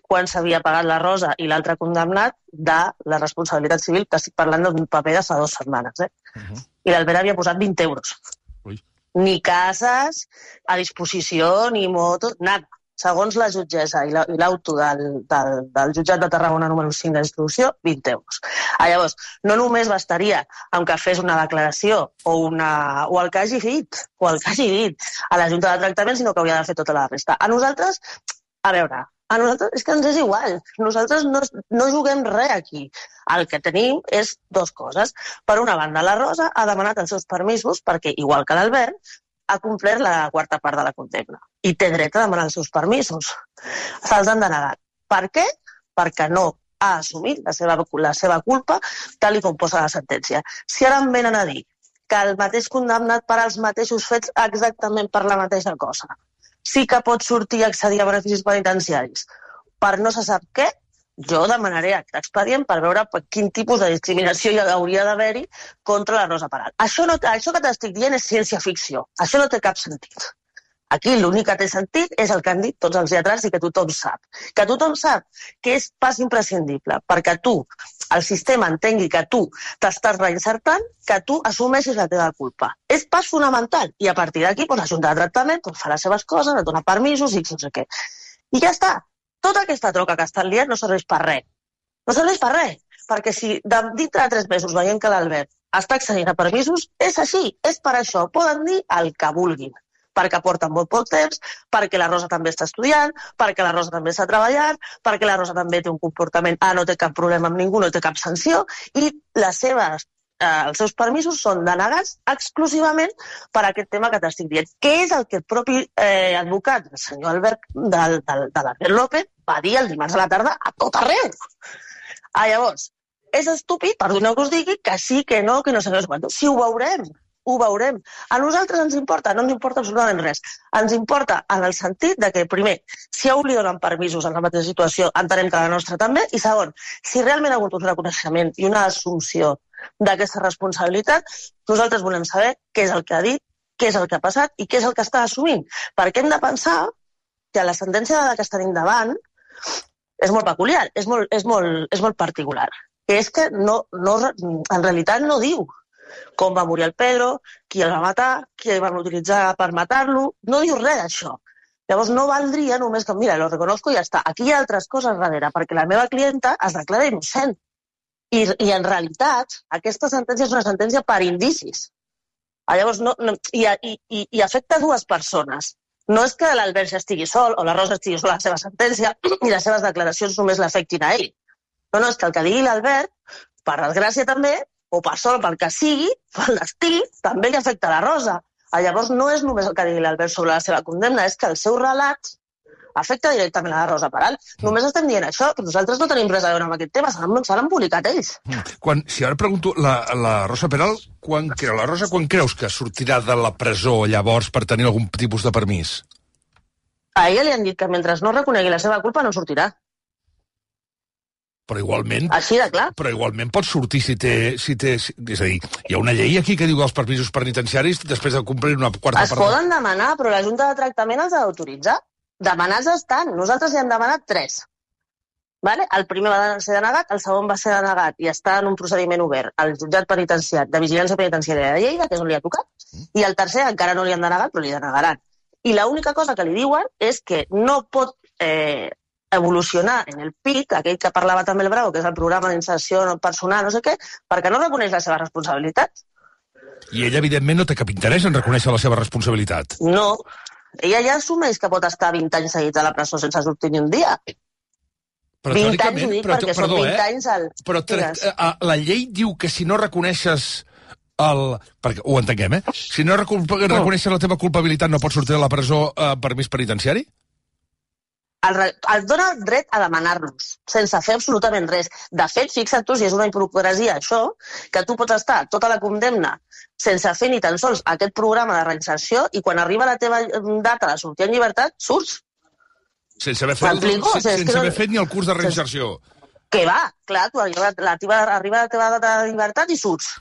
quan s'havia pagat la Rosa i l'altre condemnat de la responsabilitat civil, que estic parlant d'un paper de fa dues setmanes. Eh? Uh-huh. I l'Albert havia posat vint euros. Ui. Ni cases a disposició, ni motos, nada. Segons la jutgessa i l'auto del, del, del jutjat de Tarragona número cinc d'instrucció, vint euros. Ah, llavors, no només bastaria amb que fes una declaració o, una, o el que hagi dit, o el que hagi dit a la Junta de Tractament, sinó que hauria de fer tota la resta. A nosaltres, a veure, a nosaltres és que ens és igual. Nosaltres no, no juguem res aquí. El que tenim és dues coses. Per una banda, la Rosa ha demanat els seus permisos perquè, igual que l'Albert, ha complert la quarta part de la condemna i té dret a demanar els seus permisos. Se'ls han denegat. Per què? Perquè no ha assumit la seva, la seva culpa tal com posa la sentència. Si ara em venen a dir que el mateix condemnat per als mateixos fets exactament per la mateixa cosa sí que pot sortir a accedir a beneficis penitenciaris per no se sap què, jo demanaré aquest expedient per veure quin tipus de discriminació hi hauria d'haver-hi contra la Rosa Peral. Això, no, això que t'estic dient és ciència-ficció. Això no té cap sentit. Aquí l'únic que té sentit és el que han dit tots els lletrats i que tothom sap. Que tothom sap que és pas imprescindible perquè tu, el sistema entengui que tu t'estàs reinsertant, que tu assumeixis la teva culpa. És pas fonamental. I a partir d'aquí, doncs, la Junta de Tractament doncs, fa les seves coses, et dona permisos i no sé què. I ja està. Tota aquesta troca que estan liant no serveix per res. No serveix per res. Perquè si de, dintre de tres mesos veiem que l'Albert està accedint a permisos, és així, és per això. Poden dir el que vulguin. Perquè porten molt poc temps, perquè la Rosa també està estudiant, perquè la Rosa també està treballant, perquè la Rosa també té un comportament, ah, no té cap problema amb ningú, no té cap sanció, i les seves, eh, els seus permisos són denegats exclusivament per aquest tema que t'estic dient, que és el que el propi eh, advocat, el senyor Albert, del, del, de l'Albert López, va dir el dimarts a la tarda a tot arreu. Ah, llavors, és estúpid, perdoneu que us digui, que sí, que no, que no sé què, si ho veurem. Ho veurem. A nosaltres ens importa, no ens importa absolutament res. Ens importa en el sentit de que, primer, si a un li donen permisos en la mateixa situació, entenem que la nostra també, i segon, si realment ha hagut un reconeixement i una assumpció d'aquesta responsabilitat, nosaltres volem saber què és el que ha dit, què és el que ha passat i què és el que està assumint. Perquè hem de pensar que la sentència que està davant és molt peculiar, és molt, és molt, és molt particular. Que és que no, no, en realitat no diu com va morir el Pedro, qui el va matar, qui el van utilitzar per matar-lo, no diu res d'això. Llavors no valdria només que, mira, lo reconozco i ja està. Aquí hi ha altres coses darrere, perquè la meva clienta es declara innocent. I, i en realitat, aquesta sentència és una sentència per indicis. Llavors, no, no, i, i, i afecta dues persones. No és que l'Albert ja estigui sol o la Rosa estigui sola a la seva sentència i les seves declaracions només l'afectin a ell. No, no, és que el que digui l'Albert, per desgràcia també, o per sort, pel que sigui, pel destí, també li afecta a la Rosa. Llavors no és només el que digui l'Albert sobre la seva condemna, és que el seu relat afecta directament a la Rosa Peral. Només estem dient això, que nosaltres no tenim res a veure amb aquest tema, se l'han publicat ells. Quan, si ara pregunto, la, la Rosa Peral, quan creu, la Rosa, quan creus que sortirà de la presó llavors per tenir algun tipus de permís? A ella li han dit que mentre no reconegui la seva culpa no sortirà. Però igualment... Així de clar. Però igualment pot sortir si té, si té... És a dir, hi ha una llei aquí que diu que els permisos penitenciaris, després de complir una quarta part... Es poden demanar, però la Junta de Tractament els ha d'autoritzar. Demanats estan. Nosaltres hi hem demanat tres. Vale? El primer va ser denegat, el segon va ser denegat i està en un procediment obert al jutjat penitenciari de vigilància penitenciària de Lleida, que és on li ha tocat, i el tercer encara no li han denegat, però li denegaran. I l'única cosa que li diuen és que no pot... Eh, evolucionar en el P I C, aquell que parlava també el Bravo, que és el programa d'inserció personal, no sé què, perquè no reconeix la seva responsabilitat. I ella, evidentment, no té cap interès en reconèixer la seva responsabilitat. No. Ella ja assumeix que pot estar vint anys seguits a la presó sense sortir ni un dia. Però vint anys ho dic però, perquè perdó, són vint eh? anys al... Però la llei diu que si no reconeixes el... Perquè ho entenguem, eh? Si no reconeixes la teva culpabilitat no pots sortir de la presó a permís penitenciari? el, el dona el dret a demanar-los, sense fer absolutament res. De fet, fixa't tu, si és una hipocresia això, que tu pots estar tota la condemna sense fer ni tan sols aquest programa de reinserció i quan arriba la teva data de sortir en llibertat, surts. Sense haver fet, M'explico? O sigui, és sense que no- haver fet ni el curs de reinserció. Que va, clar, tu arriba la teva, arriba la teva data de llibertat i surts.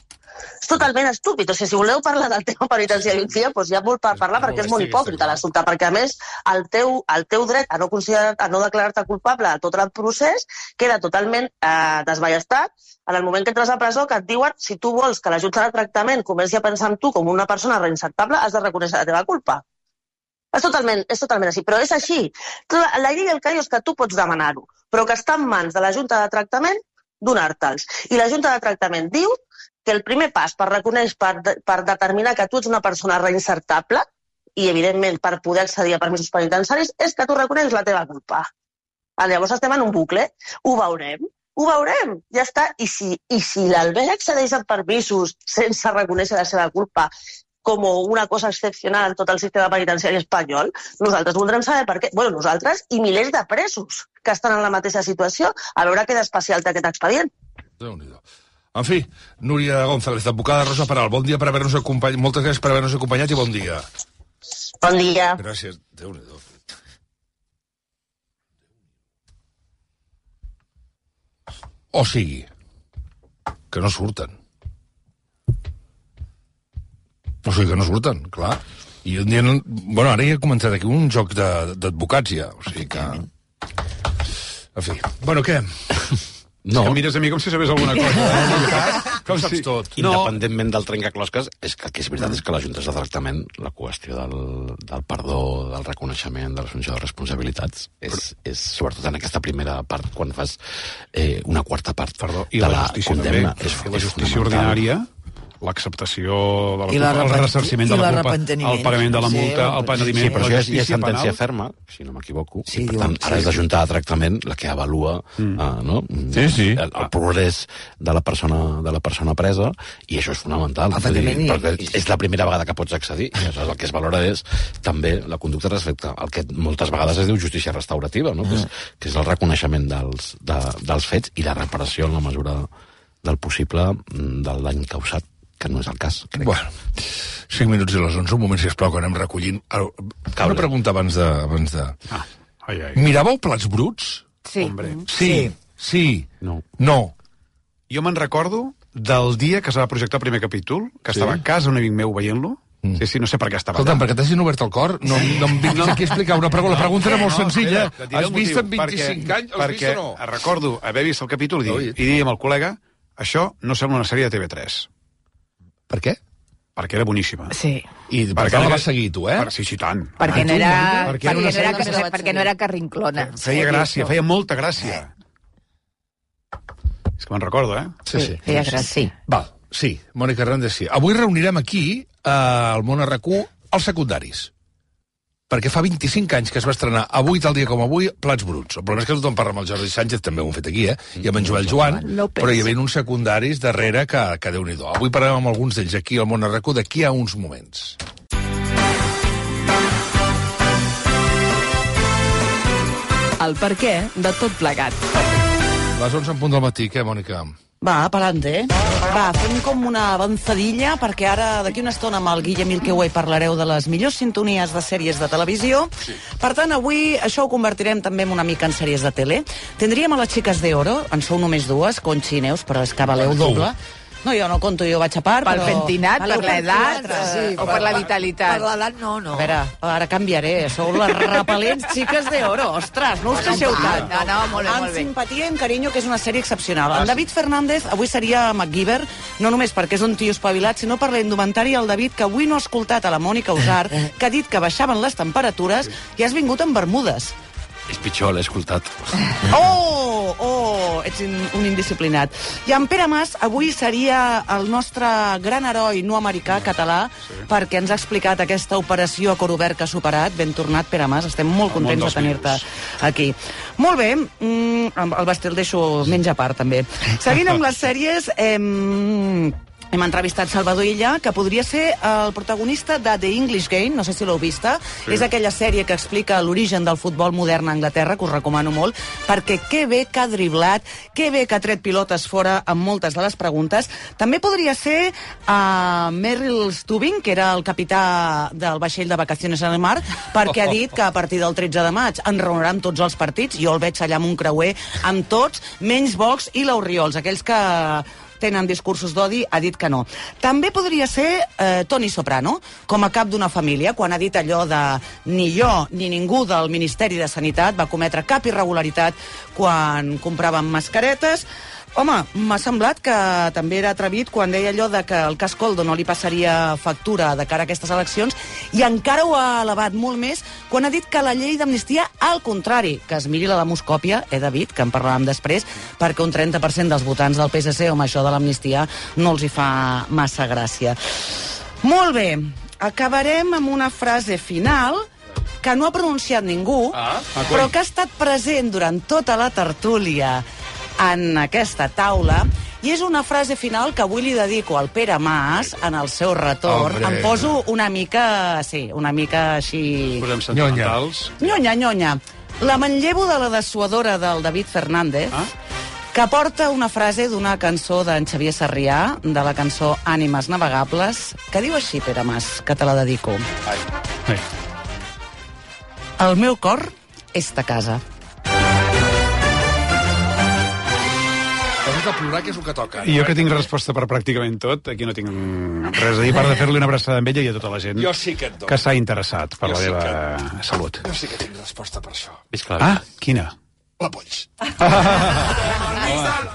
És totalment estúpid. O sigui, si voleu parlar del tema penitenciari un dia, doncs hi ha molt per parlar perquè és molt hipòcrita l'assumpte, perquè a més el teu, el teu dret a no, considerar, a no declarar-te culpable de tot el procés queda totalment eh, desballestat en el moment que entres a presó, que et diuen si tu vols que la Junta de Tractament comenci a pensar en tu com una persona reinsertable, has de reconèixer la teva culpa. És totalment, és totalment així, però és així. La llei del caio és que tu pots demanar-ho, però que està en mans de la Junta de Tractament donar-te'ls. I la Junta de Tractament diu que el primer pas per reconèixer, per, per determinar que tu ets una persona reinsertable, i evidentment per poder accedir a permisos penitenciaris, és que tu reconeixes la teva culpa. Llavors estem en un bucle. Ho veurem, ho veurem, ja està. I si, i si l'Albert accedeix a permisos sense reconèixer la seva culpa, com una cosa excepcional en tot el sistema penitenciari espanyol, nosaltres voldrem saber per què. Bueno, nosaltres i milers de presos que estan en la mateixa situació, a veure què d'especial té aquest expedient. Déu-n'hi-do. En fi, Núria González, advocada Rosa Peral, bon dia per haver-nos acompanyat, moltes gràcies per haver-nos acompanyat i bon dia. Bon dia. Gràcies, Déu-n'hi-do. O sigui, que no surten. O sigui que no surten, clar. I un dia... No... Bueno, ara ja ha començat aquí un joc d'advocats ja, o sigui que... En fi. Bueno, què? No. Que mires a mi com si sabés alguna cosa. Eh? Com saps tot? Independentment del trencaclosques, és que el que és veritat és que les juntes de tractament, la qüestió del, del perdó, del reconeixement, de l'assumpció de responsabilitats, és, és sobretot en aquesta primera part, quan fas eh, una quarta part Perdó, i de la la justícia condemna. també. És, I la és justícia fonamental. ordinària, l'acceptació de la I la culpa, el repent- ressarciment i de la la culpa, arrepentiment. el pagament de la Sí, multa, el penediment, Sí, però la això ja és, ja és justícia sentència penal. ferma, si no m'equivoco. Sí, i, per diuen, tant, ara sí, és la sí. Junta de Tractament la que avalua mm. uh, no? Sí, sí. El, el progrés de la persona de la persona presa, i això és fonamental. Vull dir, Efectivament, i- perquè és la primera vegada que pots accedir, i aleshores el que es valora és també la conducta respecte al que moltes vegades es diu justícia restaurativa, no? Mm. que, és, que és el reconeixement dels, de, dels fets i la reparació en la mesura del possible del dany causat, que no és el cas, crec. Bueno, cinc minuts i les onze, un moment, sisplau, que anem recollint. Una pregunta abans de... Abans de... Ah, ai, ai. Miràveu Plats Bruts? Sí. Hombre. Sí. Sí. No. No. Jo me'n recordo del dia que es va projectar el primer capítol, que Sí? estava a casa un amic meu veient-lo. Mm. Sí, sí, no sé per què estava Escolta'm, allà. perquè t'hagin obert el cor, no, no em vinguis aquí a explicar una pregunta. La pregunta era molt senzilla. espera, et diré Has el vist motiu. en vint-i-cinc perquè, anys? Has vist perquè o no? recordo haver vist el capítol i dir, Oi. i dir amb el col·lega, això no sembla una sèrie de T V tres. Per què? Perquè era boníssima. Sí. I per tant la vas seguir, tu, eh? Per, sí, sí, tant. Perquè Ah, no tu, era, Mònica? perquè era no una era, sèrie que- que perquè no era carrinclona. feia gràcia, feia molta gràcia. És que me'n recordo, eh? Sí, sí. Feia gràcia. Val, sí, Mònica Hernández, sí. Avui reunirem aquí, eh, al Món R Q, els secundaris. Perquè fa vint-i-cinc anys que es va estrenar, avui, tal dia com avui, Plats Bruts. El problema és que tothom parla amb el Jordi Sánchez, també ho hem fet aquí, eh? I amb en Joel Joan, López. però hi havia uns secundaris darrere que, que Déu-n'hi-do. Avui parlarem amb alguns d'ells aquí al Món R Q d'aquí a uns moments. El per què de tot plegat. Les onze en punt del matí, què, Mònica? Va, pa'lante. Va, fem com una avançadilla, perquè ara, d'aquí una estona, amb el Guillem Milkeway parlareu de les millors sintonies de sèries de televisió. Sí. Per tant, avui això ho convertirem també en una mica en sèries de tele. Tindríem a les xiques d'Oro, en sou només dues, Conchi i Neus, però és que valeu doble. No, jo no conto, jo vaig a part, Pel però... pentinat, per Valeu l'edat, quatre. sí, o per la vitalitat. Per l'edat no, no. A veure, ara canviaré. Sou les repel·lents xiques d'Oro. Ostres, no us queixeu tant. No, no, molt bé, Amb molt bé. simpatia i amb carinyo, que és una sèrie excepcional. En David Fernández avui seria MacGyver, no només perquè és un tio espavilat, sinó per la indumentària del David, que avui no ha escoltat a la Mònica Usar, que ha dit que baixaven les temperatures i has vingut amb bermudes. És pitjor, l'he escoltat. Oh, oh, ets in, un indisciplinat. I en Pere Mas avui seria el nostre gran heroi no americà, català, sí. perquè ens ha explicat aquesta operació a cor obert que ha superat. Ben tornat, Pere Mas, estem molt El món contents de dels tenir-te aquí. Molt bé, mm, el Basti el deixo menys a part, també. Seguint amb les sèries... Eh, hem entrevistat Salvador Illa, que podria ser el protagonista de The English Game, no sé si l'heu vista. Sí. És aquella sèrie que explica l'origen del futbol modern a Anglaterra, que us recomano molt, perquè que bé que ha driblat, que bé que ha tret pilotes fora amb moltes de les preguntes. També podria ser uh, Merrill Stubing, que era el capità del vaixell de Vacaciones en el Mar, perquè ha dit que a partir del tretze de maig enraonarà amb tots els partits. Jo el veig allà amb un creuer, amb tots, menys Vox i l'Oriols, aquells que tenen discursos d'odi, ha dit que no. També podria ser eh, Toni Soprano, com a cap d'una família, quan ha dit allò de ni jo ni ningú del Ministeri de Sanitat va cometre cap irregularitat quan compràvem mascaretes. Home, m'ha semblat que també era atrevit quan deia allò de que el cas Coldo no li passaria factura de cara a aquestes eleccions, i encara ho ha elevat molt més quan ha dit que la llei d'amnistia, al contrari, que es miri la demoscòpia, he de dir, que en parlàvem després, perquè un trenta per cent dels votants del P S C, home, això de l'amnistia no els hi fa massa gràcia. Molt bé, acabarem amb una frase final que no ha pronunciat ningú, ah, però que ha estat present durant tota la tertúlia en aquesta taula, i és una frase final que avui li dedico al Pere Mas en el seu retorn. Hombre. Em poso una mica, sí, una mica així... Posem sentimentals. Nyonya, nyonya. La manllevo de la dessuadora del David Fernández, ah? que porta una frase d'una cançó d'en Xavier Sarrià, de la cançó Ànimes navegables, que diu així, Pere Mas, que te la dedico. Ai. Ai. El meu cor és ta casa. De plorar, que és el que toca. I jo que tinc resposta per pràcticament tot, aquí no tinc res a dir, per de fer-li una abraçada amb ella i a tota la gent jo sí que, que s'ha interessat per jo la meva sí que... salut. Jo sí que tinc resposta per això. Ah, quina? La Polls.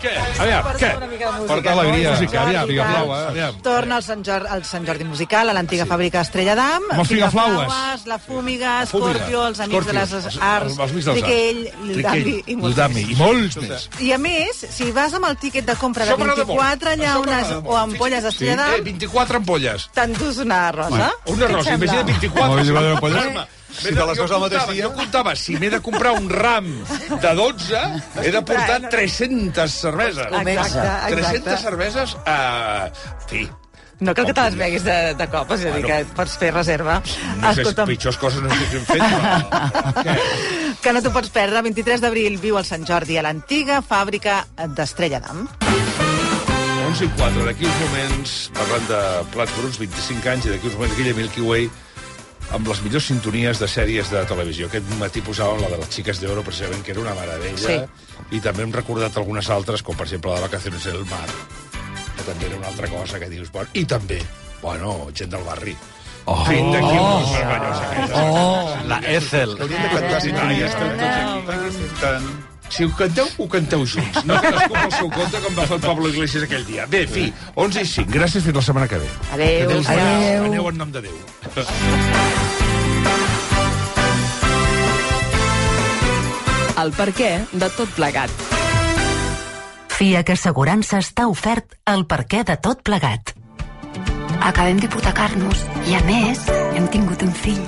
Què? Aviam, què? Porta alegria. Música, aviam, Figaflau, aviam. Torna al Sant Jordi, al Sant Jordi Musical, a l'antiga sí. fàbrica Estrella d'Am. Amb els Figaflaues. La Fúmiga, Scorpio, els Amics de les Arts, Triquell, Lildami, Lildami i molts més. I a més, si vas amb el tíquet de compra de vint-i-quatre llaunes o ampolles d'Estrella d'Am... vint-i-quatre ampolles. T'endús una rosa. Una rosa, imagina vint-i-quatre. Si te les veus al mateix dia... Jo comptava, si m'he de comprar un ram de dotze, he de portar tres-centes cerveses. Exacte, exacte. tres-centes cerveses, uh, fi. No cal que te les beguis de, de cop, és a dir, que pots fer reserva. No sé, pitjors coses no sé què hem fet, però... Que no t'ho pots perdre. vint-i-tres d'abril viu al Sant Jordi a l'antiga fàbrica d'Estrella d'Am. onze i quatre, d'aquí uns moments, parlant de plats bruts, vint-i-cinc anys, i d'aquí uns moments aquella Milky Way, amb les millors sintonies de sèries de televisió. Aquest matí posàvem la de les Xiques d'Oro, precisament, que era una meravella, sí. I també hem recordat algunes altres, com per exemple la de Vacaciones en el Mar, que també era una altra cosa que dius... Bueno, i també, bueno, gent del barri. Oh! Fin d'aquí oh. un vermellós aquesta. Oh! La Ethel. Hauríem de cantar sintonies tots aquí. Si ho canteu, ho canteu junts. No cadascú pel seu compte, com va fer el Pablo Iglesias aquell dia. Bé, fi, onze i cinc. Gràcies, fins la setmana que ve. Adéu. Adéu. Adéu. Aneu en nom de Déu. El perquè de tot plegat. FIAC Assegurances t'ha ofert el perquè de tot plegat. Acabem d'hipotecar-nos i, a més, hem tingut un fill.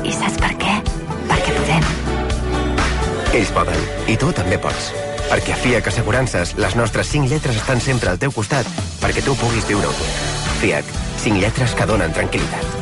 I saps per què? Perquè podem. Ells poden, i tu també pots. Perquè a FIAC Assegurances les nostres cinc lletres estan sempre al teu costat perquè tu puguis viure-ho tot. FIAC, cinc lletres que donen tranquil·litat.